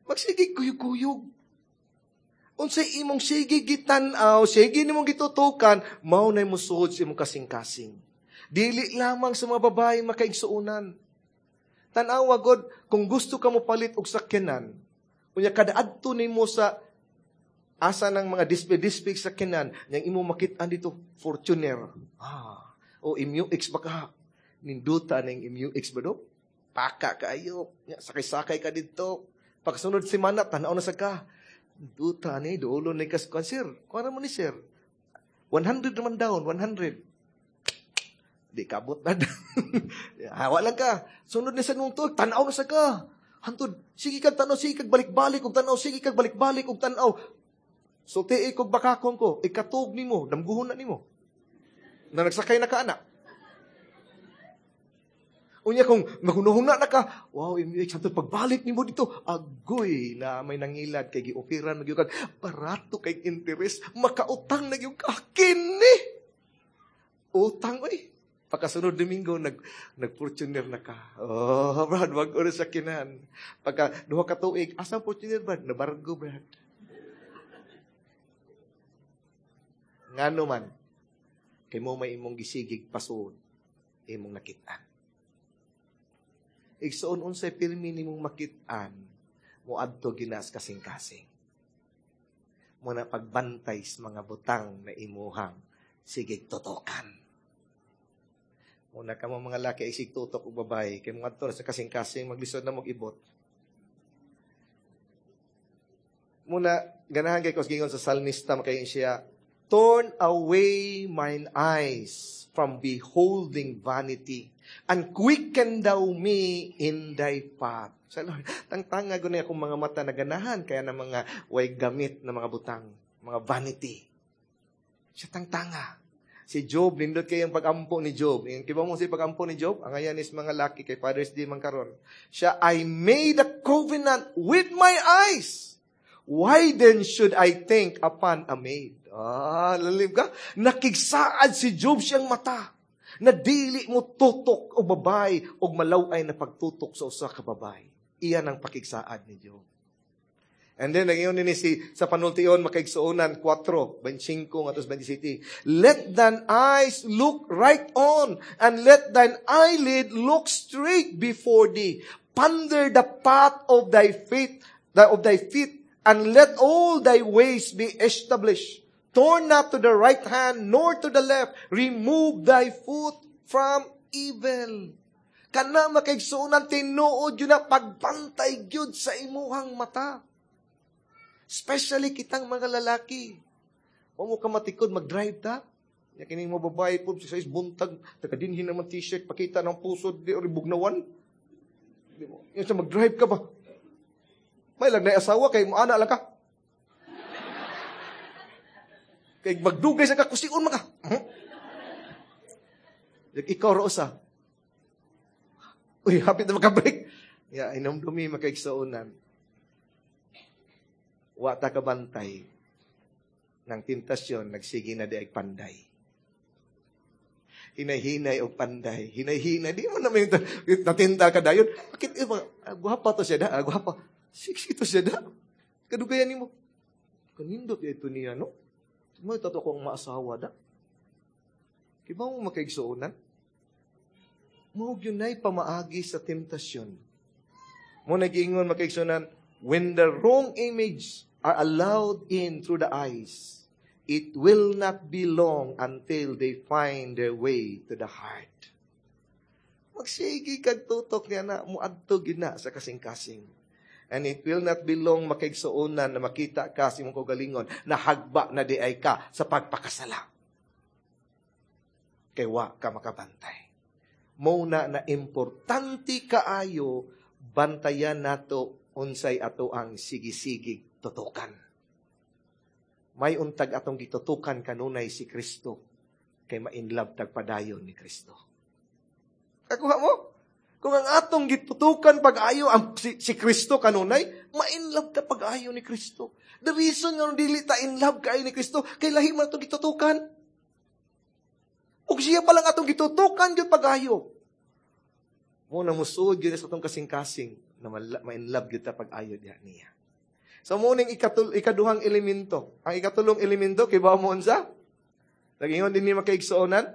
Magsige kuyog-kuyog. Unsay imong sige gitan-aw, sige nimong gitutukan, mao nay musuod sa imong kasing-kasing. Dili lamang sa mga babae makaigsuonan. Tan-awa god, kung gusto ka mo palit og sakyanan, unya kada adto nimo sa asa ng mga display-display sakyanan, niyang imo makit-an dito Fortuner. Ah, o M U X ba ka? Ninduta ning M U X ba do? Paka kaayo. Nya sakay-sakay ka didto. Pagsunod semana tan-aw na sa ka. Duta ni duolo ni kas kwan sir. Kuan mo ni sir. one hundred naman down, one hundred. Di kabot na. Hawa lang ka. Sunod ni sa nung tuig, tan-aw na sa ka. Hantod, sige kag tan-aw, sige kag balik-balik og tan-aw, sige kag balik-balik og tan-aw. Sulti kog bakakon ko, ikatug nimo, damguhon na nimo. Na nagsakay na ka anak. Unya kung maghunahuna na ka, wow, M U X, hantod pagbalik nimo dito, agoy na may nangilad kay gioperan magyud kag barato kay interest, makautang na gyud ka kini. Utang oy. Pagkasunod Domingo, nag, nag-Fortuner na ka. Oh, Brad, wag oras sa kinan. Pagka duha ka tuig, asa Fortuner, Brad? Nabargo, Brad. Ngano man, kay mo may imong gisigig pasod, imong nakitaan. Igsoon unsay pirmi nimong makit-an, moadto ginas kasing-kasing. Muna pagbantay sa mga butang na imuhang sigig tutukan. Muna ka mo mga laki ay sig tutok og babae, kay mga adto sa kasing-kasing maglisod na mag-ibot. Muna ganahan kay kos gingon sa salmista makaingon siya, turn away mine eyes from beholding vanity, and quicken thou me in thy path. Sa Lord, tangtanga guni akong mga mata na ganahan, kaya na mga way gamit na mga butang, mga vanity. Siya tangtanga. Si Job, nindot kayong pag-ampo ni Job. Yung kiba mo si pag-ampo ni Job, ang ayan is mga laki kay Father's Day man karon. Siya, I made a covenant with my eyes. Why then should I think upon a maid? Ah, lalim ka. Nakigsaad si Job siyang mata. Na dili mo tutok o babay o malaway na pagtutok sa usa ka babay. Iyan ang pakigsaad ni Job. And then, nagyon ni si, sa panultion, makaigsuonan, four, twenty-five, ngatos twenty-six. Let thine eyes look right on, and let thine eyelid look straight before thee. Ponder the path of thy feet, of thy feet, and let all thy ways be established. Turn not to the right hand, nor to the left. Remove thy foot from evil. Kana makaigsuonan, tinuod yun na pagbantay gyud sa imuhang mata. Especially kitang mga lalaki. Huwag mo ka matikod, mag-drive ta. Ya kining mo babae po, sa is buntag, taga-dinhin naman t-shirt, pakita ng puso, di or bugnawan. Di mo. Yung sa mag-drive ka ba? May lang na asawa, kay mo ana lang ka. Kay magdugay sa ka, kusion man ka. Hmm? Ikaw rosa. Uy, hapit na maka-break. Ya, inomdumi makaigsuonan. Wa ta kabantay ng tentasyon, nagsige na di ay panday. Hinay-hinay og panday. Hinay-hinay. Di mo naman yung natinda ka dayon. Bakit, eh, ah, guwapa to siya da. Ah, guwapa. Sexy to siya da. Kadugayan nimo. Kanindot ito niya, no? May tato akong maasawa da. Kiba mo makaigsuonan? Mao gyud nay pamaagi sa temptasyon. Mo nagiingon makaigsuonan, when the wrong image are allowed in through the eyes, it will not be long until they find their way to the heart. Magsige kag tutok niya na, muadto gid na sa kasing-kasing. And it will not be long makaigsuonan na makita ka sa imong kaugalingon na hagba na di ay ka sa pagpakasala. Kay wa ka makabantay. Mao na na importante kaayo bantayan nato unsay ato ang sigisigig tutukan. May untag atong gitutukan kanunay si Kristo kay ma-inlove tag padayon ni Kristo. Kakuha mo? Kung ang atong gitutukan pag-ayo ang si, si Kristo kanunay, ma-in love ka pag-ayo ni Kristo. The reason nga dili ta in love kaayo ni Kristo, kay lahi man atong gitutukan. Ug siya pa lang atong gitutukan gyud pag-ayo. Mo na musuod gyud sa atong kasing-kasing na ma-in love gyud ta pag-ayo diha niya. So mo ning ikatul ikaduhang elemento. Ang ikatulong elemento kay ba mo unsa? Nagingon din ni makaigsuonan.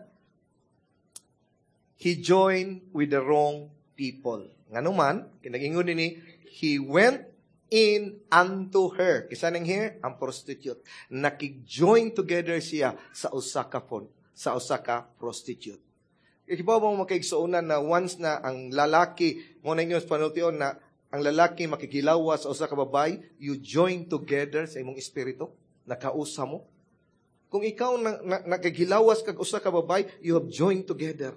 He joined with the wrong people. Ngano man, kinagingon din ni, he went in unto her. Kinsa nang here, ang prostitute. Nakig-join together siya sa usa ka pon, sa usa ka prostitute. Ibaw mo makaigsuonan na once na ang lalaki, mo na inyo panultion na ang lalaki makikilawas sa usa ka babae, you join together sa imong espiritu, nakausa mo. Kung ikaw na, na, nakikilawas kag usa ka babae, you have joined together.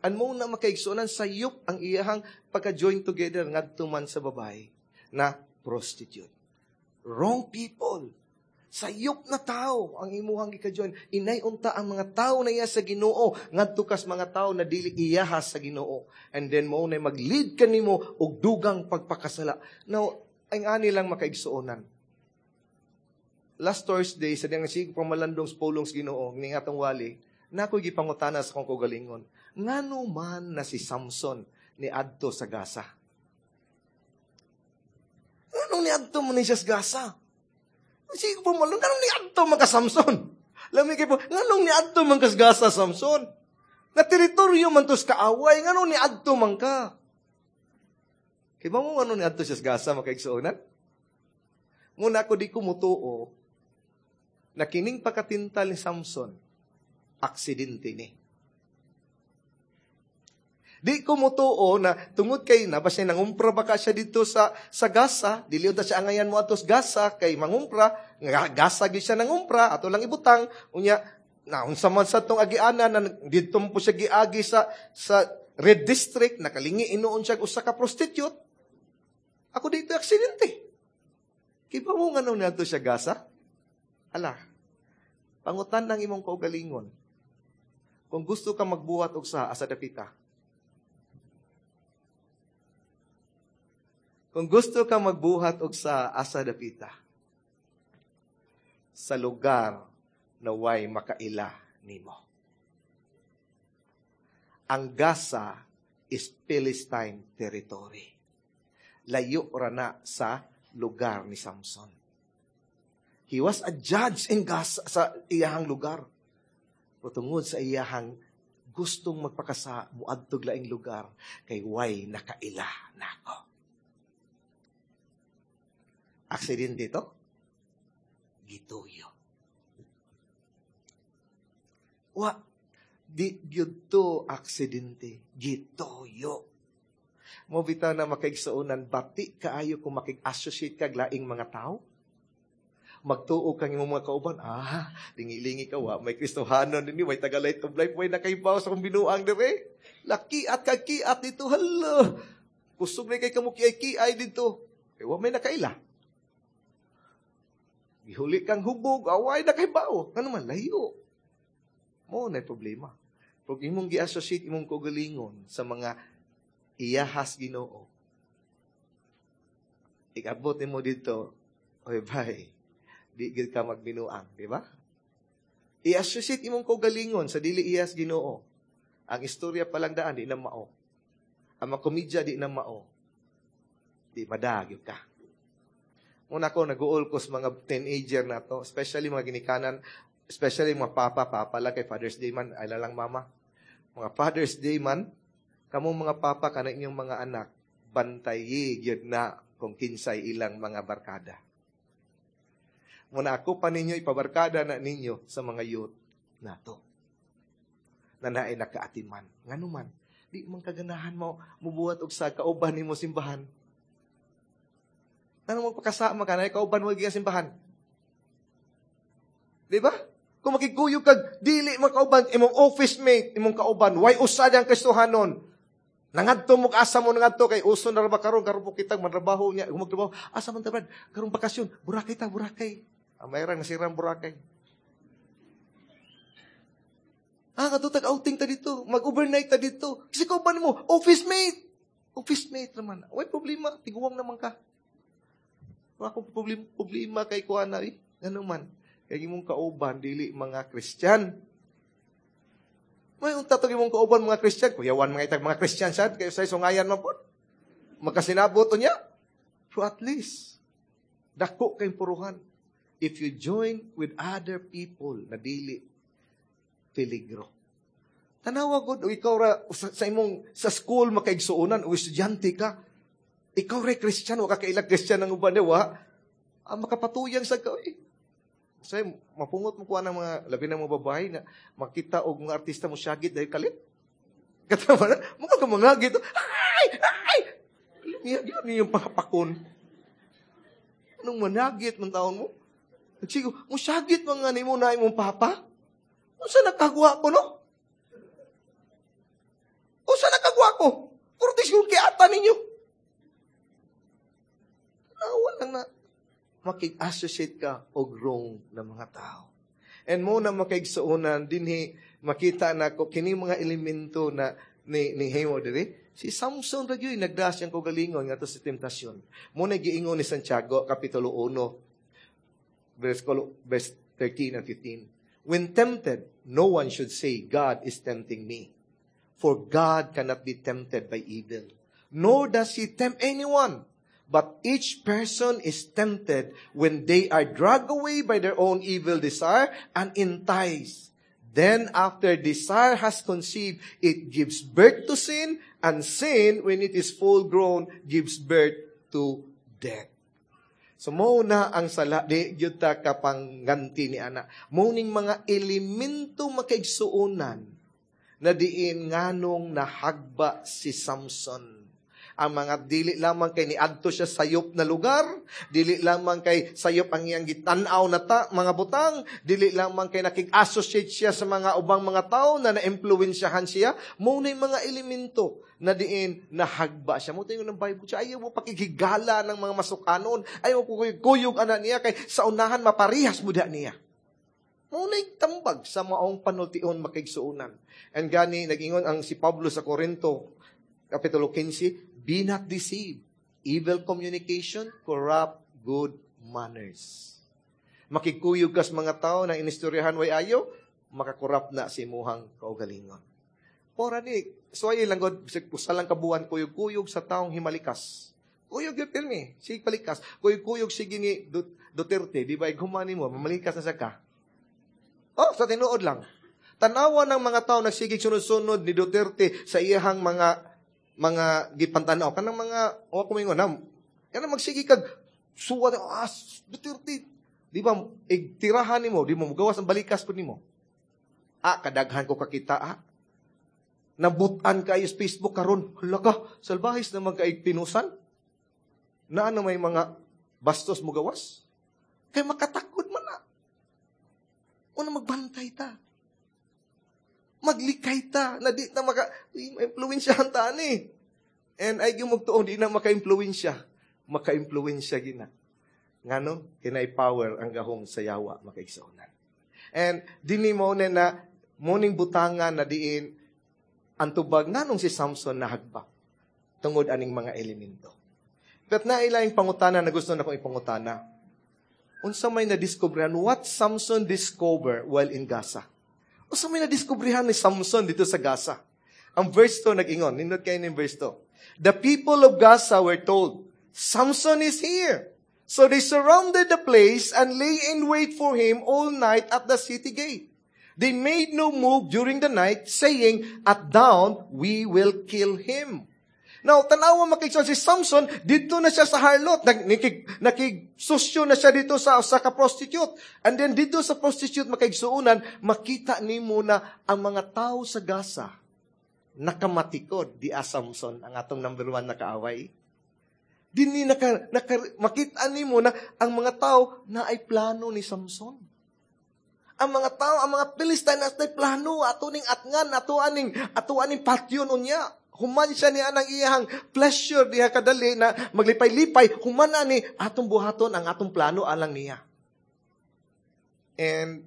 An mo na makaigsuonan sayop ang iyahang pagka-join together ngadto man sa babae na prostitute. Wrong people. Sayop na tao ang imuhang gika-join. Inay unta ang mga tao na iya sa Ginoo ngadto kas mga tao na dili iyahas sa Ginoo. And then mo na mag-lead kanimo og dugang pagpakasala. Now, ang ani lang makaigsuonan. Last Thursday sa diyang sige pamalandong sa pulong sa Ginoo ning atong wali, na ako'y gipangutana sa akong kaugalingon. Ngano man na si Samson ni adto sa Gaza? Nganong ni adto man ni siya sa Gaza? Sige po malong, nganong ni adto man ka Samson? Lami kay po, nganong ni adto man ka sa Gaza, Samson? Na teritoryo man to sa kaaway, nganong ni adto man ka? Kay ba mo nganong ni adto siya sa Gaza, makaigsuonan? Muna ako di ko mutuo na kining pagkatintal ni Samson, aksidente ni. Di ko mutuo na tungod kay na basta nangumpra ba ka siya dito sa sa Gaza, dili unta siya angayan mo ato sa Gaza kay mangumpra, nga Gaza gyud siya nangumpra, ato lang ibutang unya na unsa man sa tong agianan na didto po siya giagi sa sa Red District, nakalingi inuon siya usa ka prostitute. Ako dito aksidente. Kay ba mo ngano niadto siya Gaza? Ala. Pangutan ng imong kaugalingon. Kung gusto ka magbuhat og sa asa dapita. Kung gusto ka magbuhat og sa asa dapita. Sa lugar na way makaila nimo. Ang Gaza is Philistine territory. Layo ra na sa lugar ni Samson. He was a judge in Gaza sa iyahang lugar. Pero tungod sa iyahang gustong magpakasa muadtog laing lugar kay way nakaila nako. Aksidente to? Gituyo. Wa di gyud to aksidente, gituyo. Mo bitaw na makaigsuonan bati kaayo kung makig-associate kag laing mga tao. Magtuo kang imong mga kauban, ah, lingi-lingi ka wa, may Kristohanon dinhi, may taga Light of Life, may nakaibaw sa akong binuang dire. Laki at kagkiat dito, hala. Kusog na kay kamo kiay-kiay dito. Kay wa may nakaila. Gihuli kang hubog, away nakaibaw. Ngano man, layo. Mo na problema. Pag imong gi-associate imong kaugalingon sa mga iyahas Ginoo, ikabot nimo dito, oy bay, di gid ka magbinuang, di ba? I-associate imong kaugalingon sa dili iyas Ginoo. Ang istorya pa lang daan di na mao. Ang mga komedya di na mao. Di madagyod ka. Muna ko nag-uol ko sa mga teenager na to, especially mga ginikanan, especially mga papa, papa lang kay Father's Day man, ay lang mama. Mga Father's Day man, kamo mga papa kana inyong mga anak, bantayi gyud na kung kinsay ilang mga barkada. Muna ako pa ninyo, ipabarkada na ninyo sa mga youth nato. Na naay nakaatiman. Ngano man, di man kaganahan mo mubuhat og sa kauban nimo simbahan. Ano magpakasama ka na kauban mo gikan simbahan? Di ba? Kung makigkuyog kag dili makauban imong office mate, imong kauban, way usad ang Kristohanon. Nangadto mo asa mo nangadto kay uso na ra ba karon karon po kitang mantrabaho niya, magtrabaho. Asa man ta brad? Karong bakasyon, Boracay ta, Boracay. Ang mayroong nasirang Boracay. Ha? Ta, kadto tag outing ta dito. Mag-overnight ta dito. Kasi kauban mo, office mate. Office mate naman. Way problema, tiguang naman ka. Wala akong problema, problema kay kuha na eh. Ano man. Kay imong kauban, dili mga Christian. May unta to imong kauban mga Christian. Kuyawan mga itag mga Christian sad. Kayo sa sungayan man po. Magkasinabot niya. So at least, dako kay puruhan. If you join with other people na dili peligro. Tanawa gud, o ikaw ra sa, sa imong sa school makaigsuonan o estudyante ka. Ikaw ra Christian, wa ka kailag Christian ang uban wa. Ah, makapatuyang sa ka eh. Say, mapungot mo kuha ng mga labi ng mga babae na makita og mga artista mo syagit dahil kalit. Katama na, mga ka mga gito. Ay! Ay! Niya, yun yung pangapakon. Anong managit man taon mo? Nagsigo, musyagit man nga nimo na imong papa? Unsa nakagwa ko, no? Unsa nakagwa ko? Kurtis yung kiata ninyo. Tanawa lang na makig-associate ka og wrong na mga tao. And mo na makaigsuonan dinhi makita na ko kini mga elemento na ni ni himo diri si Samson ra gyud nagdas siyang kaugalingon ngadto sa temptasyon. Mo na giingon ni Santiago kapitulo one verse verse thirteen and fifteen. When tempted, no one should say, God is tempting me. For God cannot be tempted by evil, nor does He tempt anyone. But each person is tempted when they are dragged away by their own evil desire and enticed. Then after desire has conceived, it gives birth to sin, and sin, when it is full grown, gives birth to death. So mo na ang sala, di gyud ta kapangganti ni ana. Mo ning mga elemento makaigsuonan na diin nganong nahagba si Samson. Ang mga dili lamang kay niadto siya sayop na lugar, dili lamang kay sayop ang iyang gitan-aw na ta, mga butang, dili lamang kay nakig-associate siya sa mga ubang mga tao na na-impluwensyahan siya, mo na mga elemento na diin nahagba siya. Mo tayo ng Bible siya, ayaw mo pakighigala ng mga masukanon, ayaw mo kuyog ana niya kay sa unahan maparihas mo da niya. Mo na tambag sa maong panultion makigsuonan. And gani nag-ingon ang si Pablo sa Corinto, Kapitulo fifteen, be not deceived. Evil communication corrupt good manners. Makikuyog kas mga tao na inistoryahan way ayo, makakorrupt na si imuhang kaugalingon. Pora ni, so ay lang god, usa lang kabuan kuyog-kuyog sa taong himalikas. Kuyog yun pirmi, sige palikas. Kuyog-kuyog sige ni Duterte, di ba, humani mo, mamalikas na sa ka. Oh, sa tinuod lang. Tanawa ng mga tao nagsigig sunod-sunod ni Duterte sa iyahang mga mga gipantanaw kanang mga o kumingon na kanang magsige kag suwa ah Duterte, di ba igtirahan nimo, di mo mugawas ang balikas pud nimo. Ah, kadaghan ko kakita ah. Nabutan kayo sa Facebook karon. Hala ka, salbahis naman kay pinusan. Na ano may mga bastos mo gawas? Kay makatakod man na. Una magbantay ta. Maglikay ta, na di na maka, ma-impluwensyahan ta ani. And ay gimugtuon, di na maka-impluwensya. Maka-impluwensya gina. Ngano, kinay power ang gahom sa yawa makaigsuonan. And dini mo na na, morning butangan na diin, ang tubag, nganong si Samson nahagba? Tungod aning mga elemento. But nailaing pangutana na gusto na kong ipangutana. Unsa may nadiskubrihan, what Samson discover while in Gaza? Unsa may nadiskubrihan ni Samson dito sa Gaza? Ang verse two nag-ingon, nindot kayo ng verse two. The people of Gaza were told, Samson is here. So they surrounded the place and lay in wait for him all night at the city gate. They made no move during the night, saying, at dawn, we will kill him. Now, tanawa makikita si Samson, dito na siya sa harlot. Nakig, nakigsusyo na siya dito sa, sa ka-prostitute. And then dito sa prostitute makaigsuunan, makita nimo na ang mga tao sa Gaza, nakamatikod di a Samson, ang atong number one na kaaway. Dini naka, naka, makita nimo na ang mga tao na ay plano ni Samson. Ang mga tao, ang mga Philistine, na ay plano, ato ning atngan, ato aning, ato aning patyon unya. Human siya niya ang iyang pleasure diha kadali na maglipay-lipay, human ani atong buhaton ang atong plano alang niya. And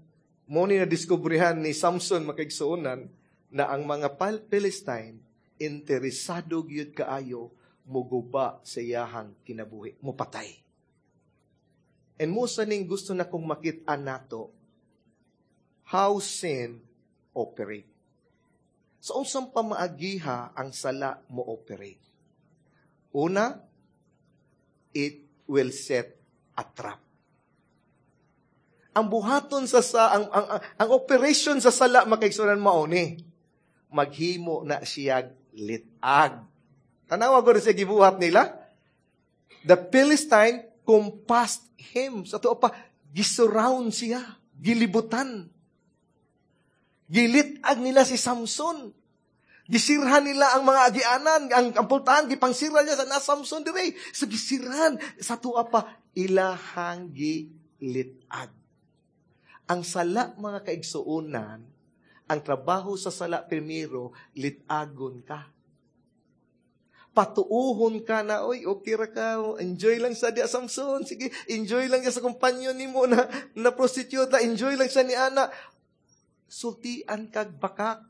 Mo ni nadiskubrihan ni Samson, makaigsuonan, na ang mga Philistine interesado gyud kaayo muguba sa iyahang kinabuhi, mupatay. And mo sa ning gusto na kong makita nato how sin operate. Sa unsang pamaagiha ang sala mo operate? Una, it will set a trap. Ang buhaton sa sa ang, ang, ang, ang operation sa sala, makaigsuonan, mao ni maghimo na siyag litag. Tanawa ko rin sa gibuhat nila. The Philistine compassed him. Sa tuo pa, gisurround siya. Gilibutan. Gilitag nila si Samson. Gisirhan nila ang mga agianan, ang, ang pultahan, gipangsira niya sa na Samson dire. So gisirhan, sa tuwa pa, ilahang gilitag. Ang sala, mga kaigsuonan, ang trabaho sa sala primero, litagon ka. Patuuhon ka na, "Oy, okay ra ka, enjoy lang sa diya, Samson, sige, enjoy lang sa kumpanyon nimo na, na prostitute, enjoy lang sa ni ana." Sultian kag bakak.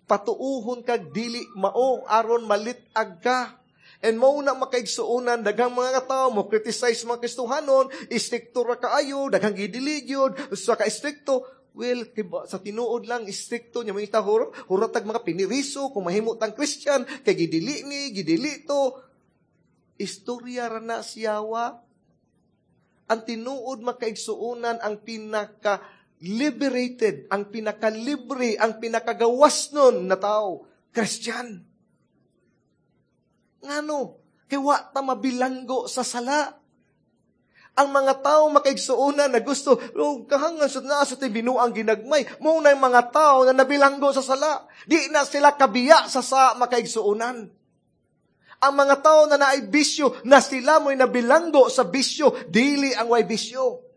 Patuuhon kag dili mao aron malitag ka. And mao na, makaigsuonan, daghang mga tao mo criticize mga Kristohanon, istrikto ra kaayo, daghang gidili gyud sa ka-istrikto. Well, kiba, sa tinuod lang, istrikto niya, mga hur, huratag mga piniriso, kung mahimo tang Christian, kay gidili ni, gidili to. Istorya ra na siyawa. Ang tinuod, makaigsuonan, ang pinaka liberated, ang pinaka-libre, ang pinakagawas nun na tao, Christian. Ngano? Kay wa ta mabilanggo sa sala. Ang mga tao, makaigsuonan, na gusto, "Oh, kahangan sa naa sa binuang ginagmay," mo na yung mga tao na nabilanggo sa sala. Di na sila kabiya sa sa makaigsuonan. Ang mga tao na naay bisyo, na sila mo'y nabilanggo sa bisyo, dili ang way bisyo.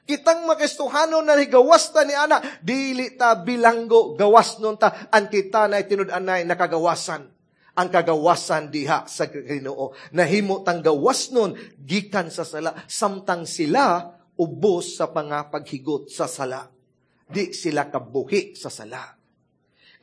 Kitang makristohano na higawas ta ni ana, dili ta bilanggo, gawas nun ta, ang kita na tinud-anay nakagawasan. Ang kagawasan diha sa Ginoo. Nahimo tang gawas nun, gikan sa sala, samtang sila ubos sa pangapaghigot sa sala. Di sila kabuhi sa sala.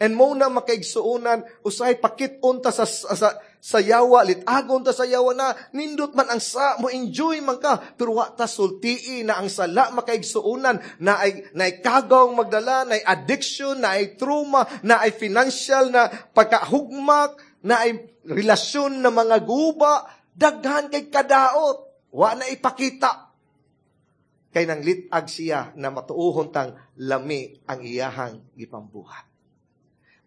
And mo na, makaigsuonan, usahay pakit-on ta sa, sa, sa yawa, litagon ta sa yawa na, nindot man ang sa, mo enjoy man ka, pero wa ta sultii na ang sala, makaigsuonan, na ay, na ay kagawang magdala, na ay addiction, na ay trauma, na ay financial, na pagkahugmak, na ay relasyon na mga guba, daghan kay kadaot, wa na ipakita. Kay nang litag siya na matuuhon tang lami ang iyahang gipambuhat.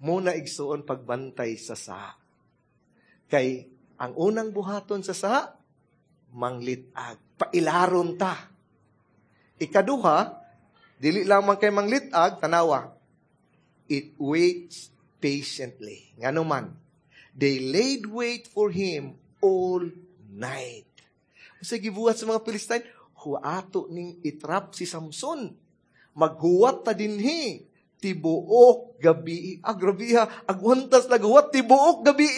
Muna, igsuon, pagbantay sa sa. Kay ang unang buhaton sa sa, manglitag. Pailaron ta. Ikaduha, dili lamang kay manglitag, tanawa. It waits patiently. Ngano man, they laid wait for him all night. Sa gibuhat sa mga Philistine, huato ning itrap si Samson. Maghuwat ta dinhi tibuok gabi. Ah, grabe ha. Agwantas naghuwat tibuok gabi.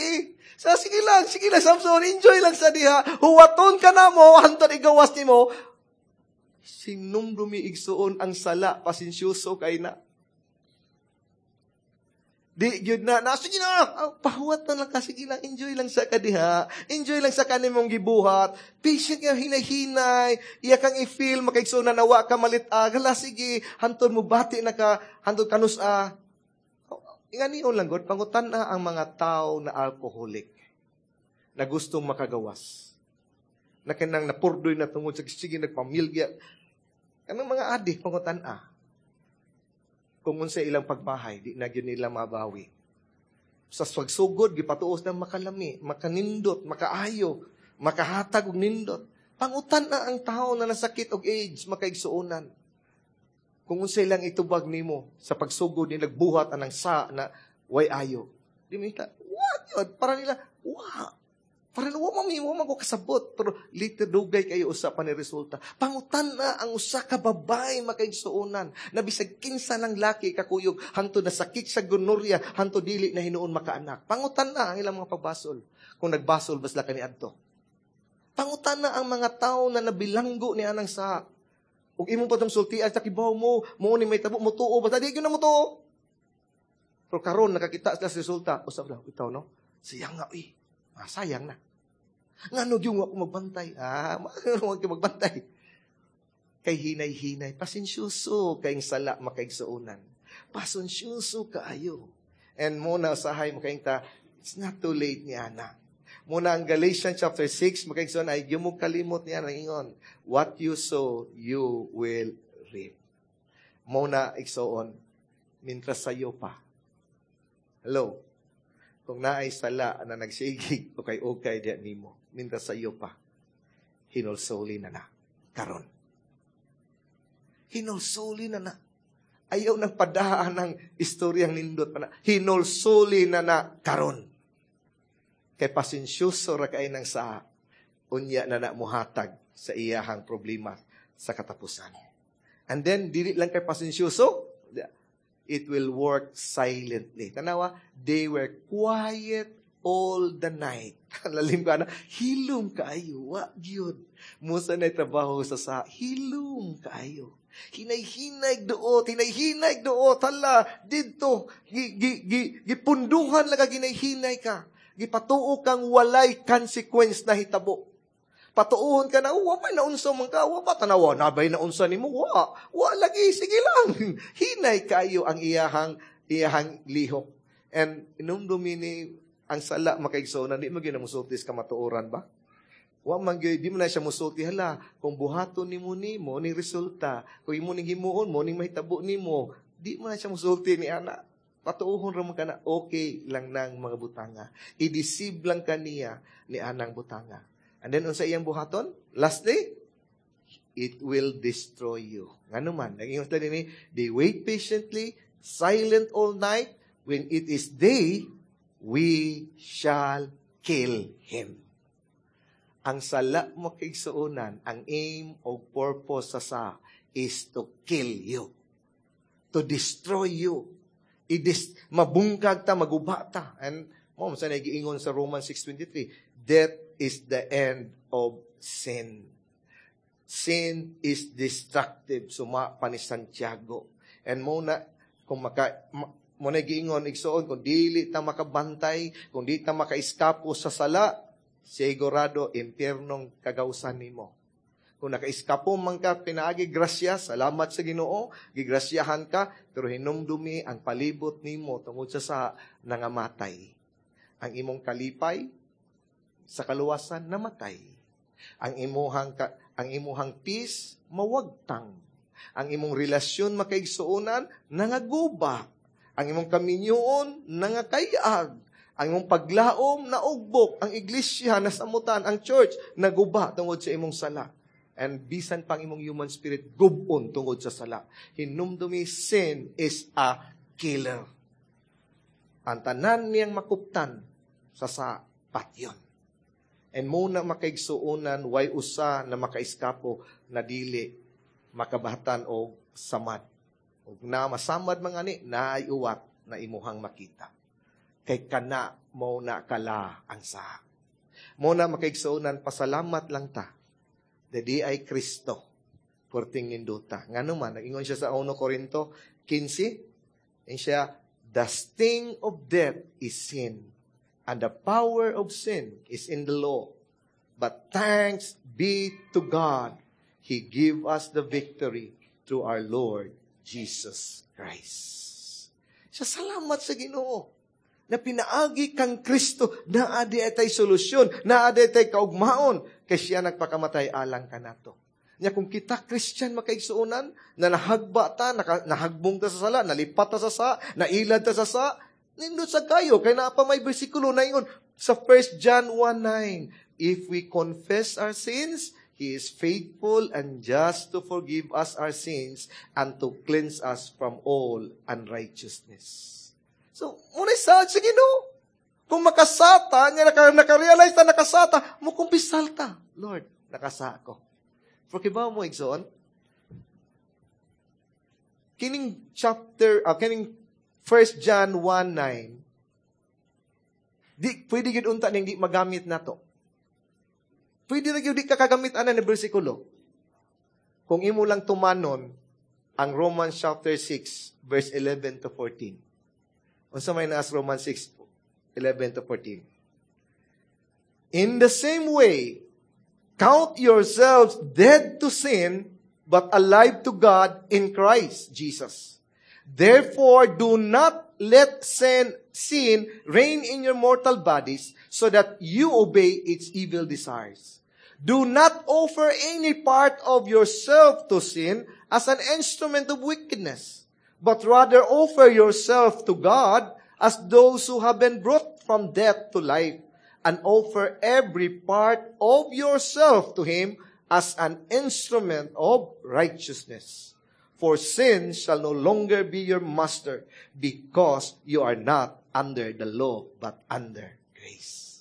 Sa sige lang, sige lang, Samson, enjoy lang sa diha. Huwaton ka na mo, hantod igawas nimo. Sinumdumi, igsuon, ang sala, pasensyoso kay na. Di gyud na, na sige na, ah, pahuwat na lang ka, sige lang, enjoy lang sa kadiha. Enjoy lang sa kanimong gibuhat. Patient nga, hinay-hinay, iya kang i-feel, makaigsuon na nawa ka malit-ag. Hala, sige, hantod mo bati na ka, hantod kanus a. Inganion lang god, pangutan na ang mga tao na alcoholic na gustong makagawas. Na kanang napurdoy na tungod sa sige nagpamilya. Kanang mga adik, pangutan a kung unsa ilang pagbahay, di na gyud nila mabawi. Sa pagsugod, gipatuos na makalami, makanindot, makaayo, makahatag og nindot. Pangutan na ang tao na nasakit og AIDS, makaigsuonan. Kung unsa ilang itubag nimo sa pagsugod ni nagbuhat anang sa na way ayo. Di mo what yun? Para nila, wa. Para wa mami, wa man ko kasabot. Pero later dugay kayo usa pa ni resulta. Pangutan na ang usa ka babae, makaigsuonan, na bisag kinsa ng laki kakuyog, hangtod na sakit sa gonorrhea, hangtod dili na hinuon makaanak. Pangutan na ang ilang mga pagbasol. Kung nagbasol ba sila kaniadto. Pangutan na ang mga tao na nabilanggo ni anang sa. Ug imo pa tong sultian sa kibaw mo, mo ni may tabo mo tuo, basta di gyud na mo tuo. Pero karon nakakita sila sa resulta, usab lang itaw no. Sayang nga uy. Ah, sayang na. Ngano gyud ako magbantay? Ah, wag ka magbantay. Kay hinay-hinay, pasensyoso kayong sala makaigsuonan. Pasensyoso kaayo. And mo na usahay makaingta, it's not too late niya na. Muna ang Galatians chapter six, makaigsoon ay mo kalimot niya nang ingon, what you sow, you will reap. Muna igsoon, mintras sayo pa. Hello? Kung naay sala na nagsigig, ukay-ukay diya nimo, mintras sayo pa, hinulsoli na na. Karon. Hinulsoli na na. Ayaw nang padaan ng istoryang nindot pa na. Hinulsoli na na karon. Kay pasensyoso ra kay nang sa unya na na muhatag sa iyahang problema sa katapusan. And then, dili lang kay pasensyoso, it will work silently. Tanawa, they were quiet all the night. Lalim ka na, hilom kaayo, wa gyud. Musa na trabaho sa sa, hilom kaayo. Hinay-hinay duot, hinay-hinay duot, hala, didto, gi, gi, gi, gipunduhan lang ka, ginay-hinay ka. Gipatuo kang walay consequence na hitabo. Patuohon ka na, wa may naunsa man ka, wa ba tanawa, nabay naunsa nimo, wa, wa lagi, sige lang. Hinay kayo ang iyahang, iyahang lihok. And inumdumi ni ang sala makaigsoon, di mo ginamusultis ka matuoran ba? Wa man gyud, di mo na siya musulti, hala, kung buhaton nimo nimo ning resulta, kung imo ning himuon mo ning mahitabo nimo, di mo na siya musulti ni ana. Patuohon ra man ka na, okay lang nang mga butanga. I-deceive lang kaniya ni anang butanga. And then, unsa iyang buhaton? Lastly, it will destroy you. Ngano man, nag-ingon sila dinhi, they wait patiently, silent all night. When it is day, we shall kill him. Ang sala mo kaigsuonan, ang aim o purpose sa sa is to kill you. To destroy you. I-dis- mabungkag ta, maguba ta. And mo sa nagiingon sa Romans six twenty-three, death is the end of sin. Sin is destructive. Suma pa ni Santiago. And mo na, kung maka, ma, mo na giingon, igsoon, kung dili ta makabantay, kung di ta makaiskapo sa sala, sigurado, impyernong kagawsan nimo. Kung nakaiskapo man ka, pinaagi, grasya, salamat sa Ginoo, gigrasyahan ka, pero hinumdumi ang palibot nimo tungod sa sa nangamatay. Ang imong kalipay sa kaluwasan, namatay. Ang imuhang ka, ang imuhang peace, mawagtang. Ang imong relasyon makaigsuonan, nangaguba. Ang imong kaminyoon, nangakayag. Ang imong paglaom, naugbok. Ang iglesia, nasamutan. Ang church, naguba tungod sa imong sala. And bisan pang imong human spirit, gubon tungod sa sala. Hinumdumi, sin is a killer. Ang tanan niyang makuptan sa sa patyon. And muna makaigsuonan, way usa na makaiskapo na dili makabahatan o samad. Og na masamad mga ni, naay uwat na imuhang makita. Kay kana mo na kala ang sa. Muna makaigsuonan, pasalamat lang ta. Dadi ay Kristo, perting ninduta. Ngano man, nag-ingon siya sa First Corinto fifteen, and siya, the sting of death is sin, and the power of sin is in the law. But thanks be to God, He give us the victory through our Lord Jesus Christ. Siya, salamat sa Ginoo na pinaagi kang Kristo, naa di tay solusyon, naa di tay kaugmaon, kay siya nagpakamatay alang kanato. Nya kung kita Christian makaigsuonan, na nahagba ta, naka, nahagbong ta sa sala, nalipat ta sa sa, nailad ta sa sa, nindot sa kayo, kay naa pa may bersikulo na ingon sa First John one nine, if we confess our sins, He is faithful and just to forgive us our sins and to cleanse us from all unrighteousness. So, muna sa sige no. Kung makasata, nga naka, naka-realize na nakasata, mukumpisal ta. Lord, nakasa ako. Forgive mo, igsoon. Kining chapter, uh, kining First John one nine, di, pwede gid unta ning di magamit na to. Pwede na gyud di ka kagamit ana ni bersikulo. Kung imo lang tumanon ang Romans chapter six verse eleven to fourteen. Unsa may naas Romans six, eleven to fourteen? "In the same way, count yourselves dead to sin, but alive to God in Christ Jesus. Therefore, do not let sin, sin reign in your mortal bodies so that you obey its evil desires. Do not offer any part of yourself to sin as an instrument of wickedness, but rather offer yourself to God as those who have been brought from death to life, and offer every part of yourself to Him as an instrument of righteousness. For sin shall no longer be your master, because you are not under the law, but under grace."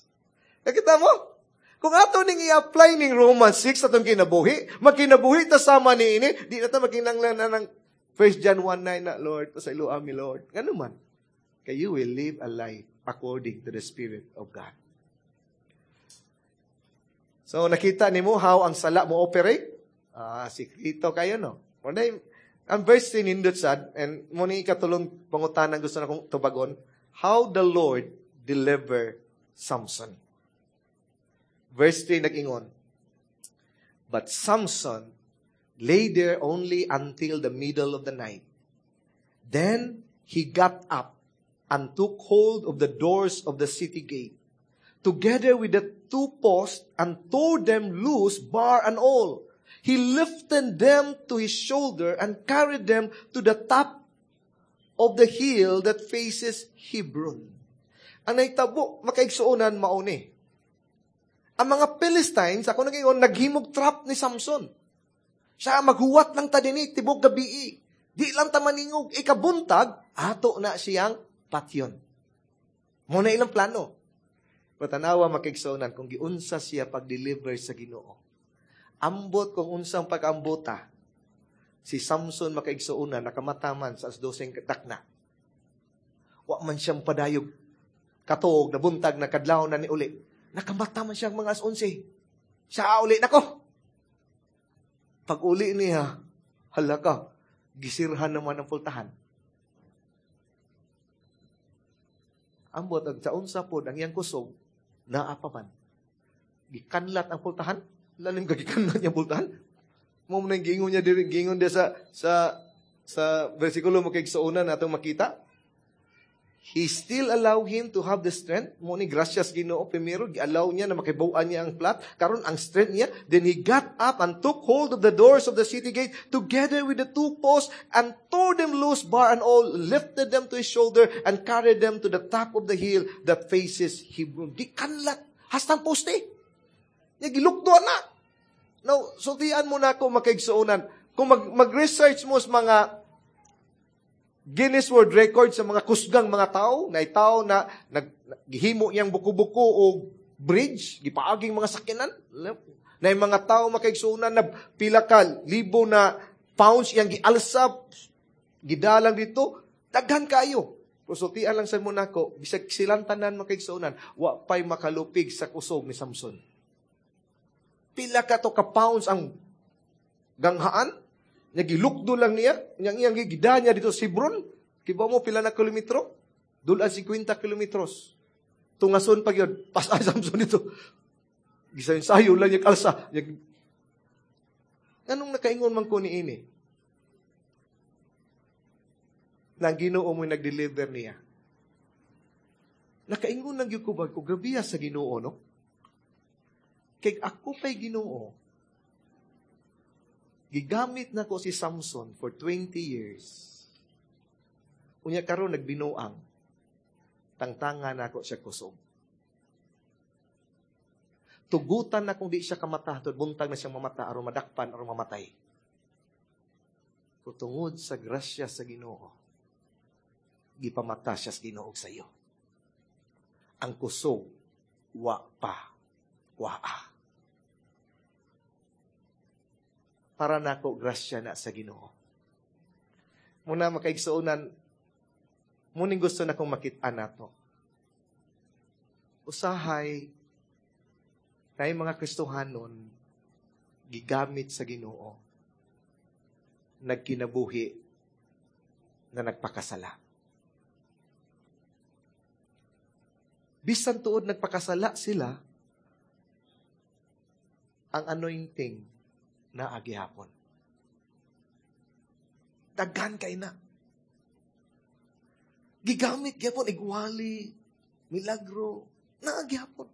Nakita mo? Kung ato ning i-apply ning Romans six atong kinabuhi, magkinabuhi ta sama ni ini, di na ta magkinanglan na ng First John one nine na, "Lord, pasayloa mi, Lord." Ngano man? Kay you will live a life according to the Spirit of God. So, nakita nimo how ang sala mo operate? Ah, sikrito kayo, no? Wala, ang verse three nindot sad, and mo ni ikatulong pangutanan gusto na kong tubagon, how the Lord deliver Samson. Verse three nag-ingon, "But Samson lay there only until the middle of the night. Then he got up and took hold of the doors of the city gate, together with the two posts, and tore them loose, bar and all. He lifted them to his shoulder and carried them to the top of the hill that faces Hebron." Ang nahitabo, makaigsuonan mauni. Ang mga Philistines, ako nag-ingon, naghimog trap ni Samson. Siya maghuwat lang ta dinhi, tibok gabii. Di lang ta maningog, ikabuntag, ato na siyang patyon. Mo na ilang plano. Pero tanawa, makaigsuonan, kung giunsa siya pag-deliver sa Ginoo. Ambot kung unsang pag-ambota, si Samson, makaigsuonan, nakamataman sa alas dose dakna. Wa man siyang padayog katuog, nabuntag na kadlaw na ni uli. Nakamata man siyang mga alas onse. Siya uli nako. Pag uli niya, hala ka, gisirhan naman ang pultahan. Ambot, ang sa unsa pod, ang iyang kusog, naa pa man. Gikanlat ang pultahan. Lalim ka gikanlat niyang pultahan. Mo mo na yung giingon niya diri, giingon niya sa, sa, sa versikulo mo kay sa una natong makita. He still allow him to have the strength. Mo ni gracias Ginoo primero gi-allow niya na makibaw-an niya ang plot. Karon ang strength niya, then he got up and took hold of the doors of the city gate together with the two posts and tore them loose, bar and all, lifted them to his shoulder and carried them to the top of the hill that faces Hebron. Gikanlat hastang poste. Nya gilukdo na. Now, sultian mo na ako, makaigsuonan. Kung mag, mag-research mo sa mga Guinness World Record sa mga kusgang mga tao, na tao na nag, gihimo niyang buko-buko o bridge, gipaaging mga sakyanan, na yung mga tao, makaigsuonan, na pila ka libo na pounds iyang gialsa, gidalang dito, daghan kayo. Sultian lang sa Monaco, bisag silang tanan, makaigsuonan, wa pa'y makalupig sa kusog ni Samson. Pila ka to ka pounds ang ganghaan, nagilukdo lang niya, niyang iyang gigida niya dito sa Hebron. Kibaw mo pila na kilometro? Dulan singkwenta kilometros. Tungason pag yun, pas Samson dito. Gisayon sayo lang niya kalsa. Anong nakaingon man ko ni ini? Nang Ginoo mo'y nag-deliver niya. Nakaingon lang gyud ko ba ko, grabe sa Ginoo, no? Kay ako pa'y Ginoo, gigamit na ko si Samson for twenty years. Unya karon nagbinuang. Tangtanga na ako siya kusog. Tugutan na kung di siya kamata, buntag na siyang mamata, aron madakpan, aron mamatay. Pero tungod sa grasya sa Ginoo, gipamata siya sa Ginoo sa iyo. Ang kusog, wa pa, waa. Para nako, grasya na sa Ginoo. Muna, makaigsuonan, muning gusto na kong makita nato. Usahay, tayo mga Kristohanon, gigamit sa Ginoo. nagkinabuhi na nagpakasala. Bisan tuod nagpakasala sila, ang anointing na agihapon. Daghan kay na. Gigamit gyapon igwali, milagro, naa gyapon.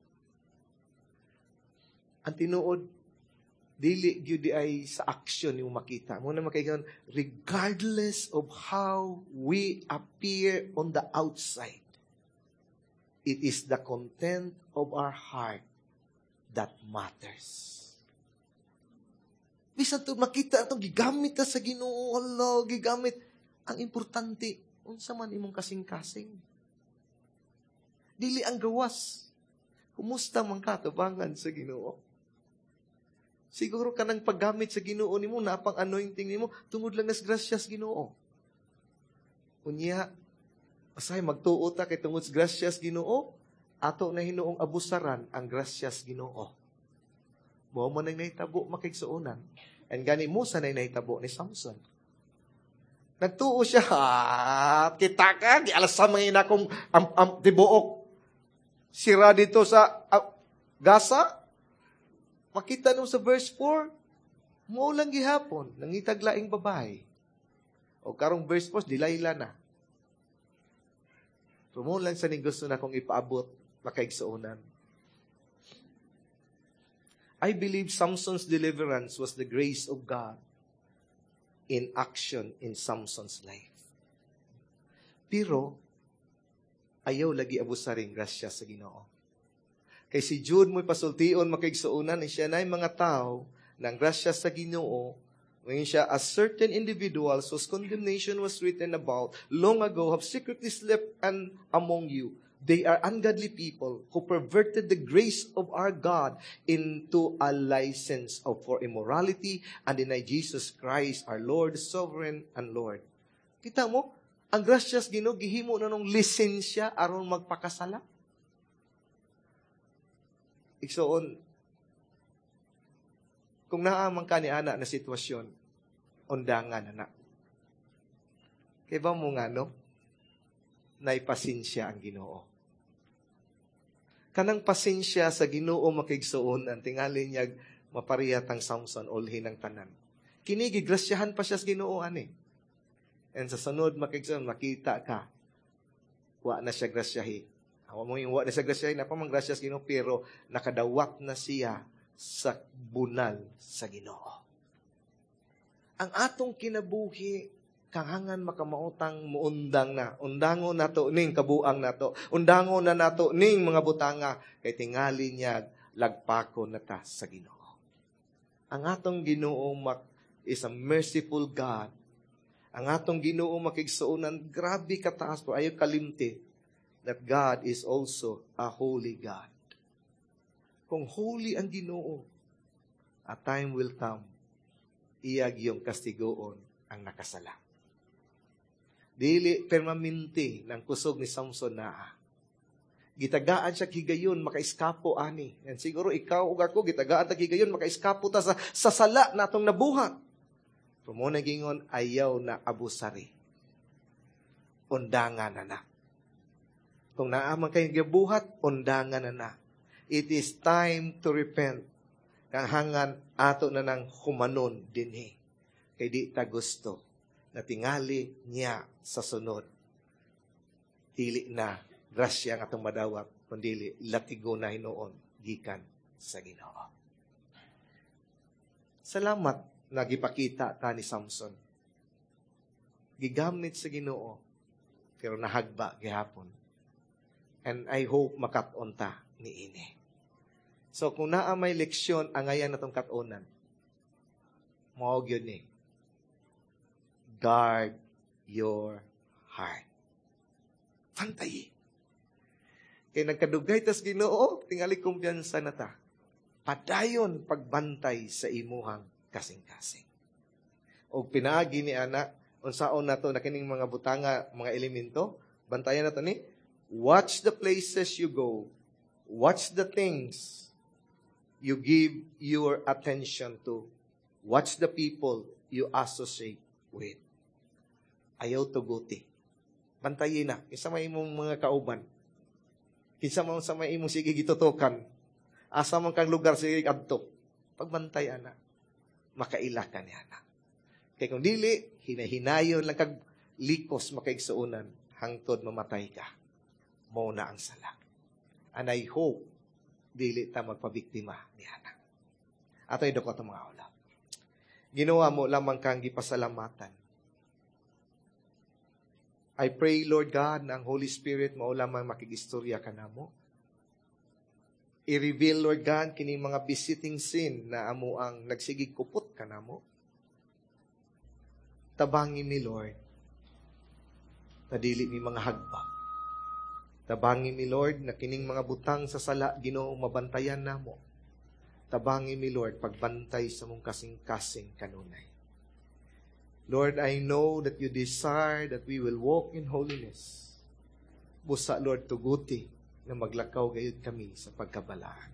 Ang tinuod, dili gyud ay sa action yung makita. Mao na makaigon, regardless of how we appear on the outside, it is the content of our heart that matters. Bisan to makita atong gigamit ta sa Ginoo, Allah, gigamit. Ang importante, unsa man imong kasing-kasing. Dili ang gawas. Kumusta man ka tubangan sa Ginoo? Siguro kanang paggamit sa Ginoo nimo, napang anointing nimo, tungod lang nas grasyas Ginoo. Unya, asay magtuo ta kay tungod sa grasyas Ginoo, ato na hinuong abusaran ang grasyas Ginoo. Mao man ang nahitabo makigsuonan. And gani mo sa nahitabo ni Samson. Nagtuo siya, ha, kita ka, di alas sa mga ina kong am, am, tibuok. Sira dito sa uh, Gaza. Makita nung sa verse four, mo lang gihapon, nangitag laing babae. O karong verse four, Delilah na. Pero mo lang sa ning gusto na kong ipaabot, makaigsuonan. I believe Samson's deliverance was the grace of God in action in Samson's life. Pero, ayaw lagi abusaring grasya sa Ginoo. Kay si Jude mo'y pasultion makaigsuonan, ni siya na'y mga tao ng grasya sa Ginoo, ngayon siya, a certain individuals whose condemnation was written about long ago have secretly slept and among you. They are ungodly people who perverted the grace of our God into a license of for immorality and deny Jesus Christ, our Lord, Sovereign and Lord. Kita mo, ang grasyas Ginoo gihimo na nung lisensya aron magpakasala. Igsoon, kung naa man ka ni ana na sitwasyon, undangan na na. Kay ba mo nga, no? Naipasensya ang Ginoo. Kanang pasensya sa Ginoo makigsuon, ang tingali niya mapariyat ang Samson ulhin ang tanan. Kini gigrasyahan pa siya sa Ginoo ani. And sa sunod makigsuon makita ka wa na siya grasyahi. Awa mo yung wa na siya grasyahi, na pa man grasya sa Ginoo pero nakadawat na siya sa bunal sa Ginoo. Ang atong kinabuhi kahangan makamautang muundang na. Undango nato ning kabuang nato. Undango na nato ning mga butanga kay tingali niya lagpako na ta sa Ginoo. Ang atong Ginoo mak is a merciful God. Ang atong Ginoo makigsuonan grabe kataas po ayo kalimti that God is also a holy God. Kung holy ang Ginoo, a time will come iyag yung kastigoon ang nakasala. Dili permanente ng kusog ni Samson na gitagaan siya higayon makaiskapo ani. And siguro ikaw ug ako gitagaan ta higayon makaiskapo ta sa, sa sala natong nabuhat. Pero mo nagingon ayaw na abusari. Undangan na na. Kung naa man kay gibuhat, undangan na na. It is time to repent. Kahangan ato na nang humanon dinhi. Kay di ta gusto na tingali niya sa sunod. Dili na grasya ang atong madawat, kundili latigo na hinuon gikan sa Ginoo. Salamat na gipakita ta ni Samson. Gigamit sa Ginoo, pero nahagba gihapon. And I hope makat-on ta ni ini. So kung naa may leksyon, angayan natong kat-onan. Mao gyud ni. Guard your heart. Pantay. Kay nagkadugay tas Ginoo, tingali kumpiyansa na ta. Padayon pagbantay sa imuhang kasing-kasing. Og pinaagi ni ana, unsaon nato na kining mga butanga, mga elemento, bantayan nato ni, watch the places you go, watch the things you give your attention to, watch the people you associate Wait. Ayaw tuguti. Bantayi na. Kinsa may imong mga kauban. Kinsa man sa may imong sige gitutukan. Asa man kang lugar sige adto. Pagbantay ana. Makaila ka niya na. Kay kung dili, hinahinayon lang kag likos makaigsuonan hangtod mamatay ka. Mao na ang sala. And I hope dili ta magpabiktima ni ana. Ato idoko atong mga ulo. Ginoo amo lamang kang gipasalamatan. I pray, Lord God, na ang Holy Spirit mao lamang makigistorya kanamo. I-reveal, Lord God, kini mga besetting sin na amo ang nagsigig kupot kanamo. Tabangi mi, Lord, na dili mi mga hagbak. Tabangi mi, Lord, na kining mga butang sa sala, Ginoo, mabantayan namo. Tabangi mi, Lord, pagbantay sa mong kasing-kasing kanunay. Lord, I know that you desire that we will walk in holiness. Busa, Lord, tuguti na maglakaw gayud kami sa pagkabalaan.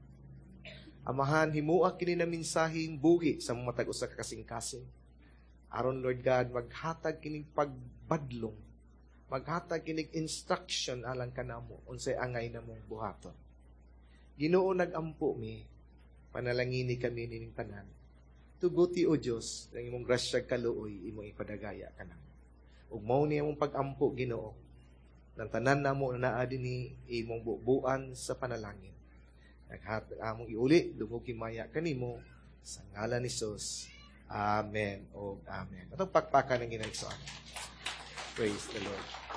Amahan, himua kini na mensaheng buhi sa matag usa ka kasing-kasing. Aron, Lord God, maghatag kining pagbadlong, maghatag kinig instruction alang kanamo unsay angay namong buhaton. Ginoo nag-ampo mi, panalangini kami nining tanan. Tuguti o Dios, ang imong grasya kaluoy imong ipadagaya kanamo. Ug mao ni among pag-ampo Ginoo. Nang tanan namo na naa dinhi imong bubuan sa panalangin. Naghatag among iuli dungog himaya kanimo sa ngalan ni Jesus. Amen o amen. Atong pakpakan ang Ginoong Praise the Lord.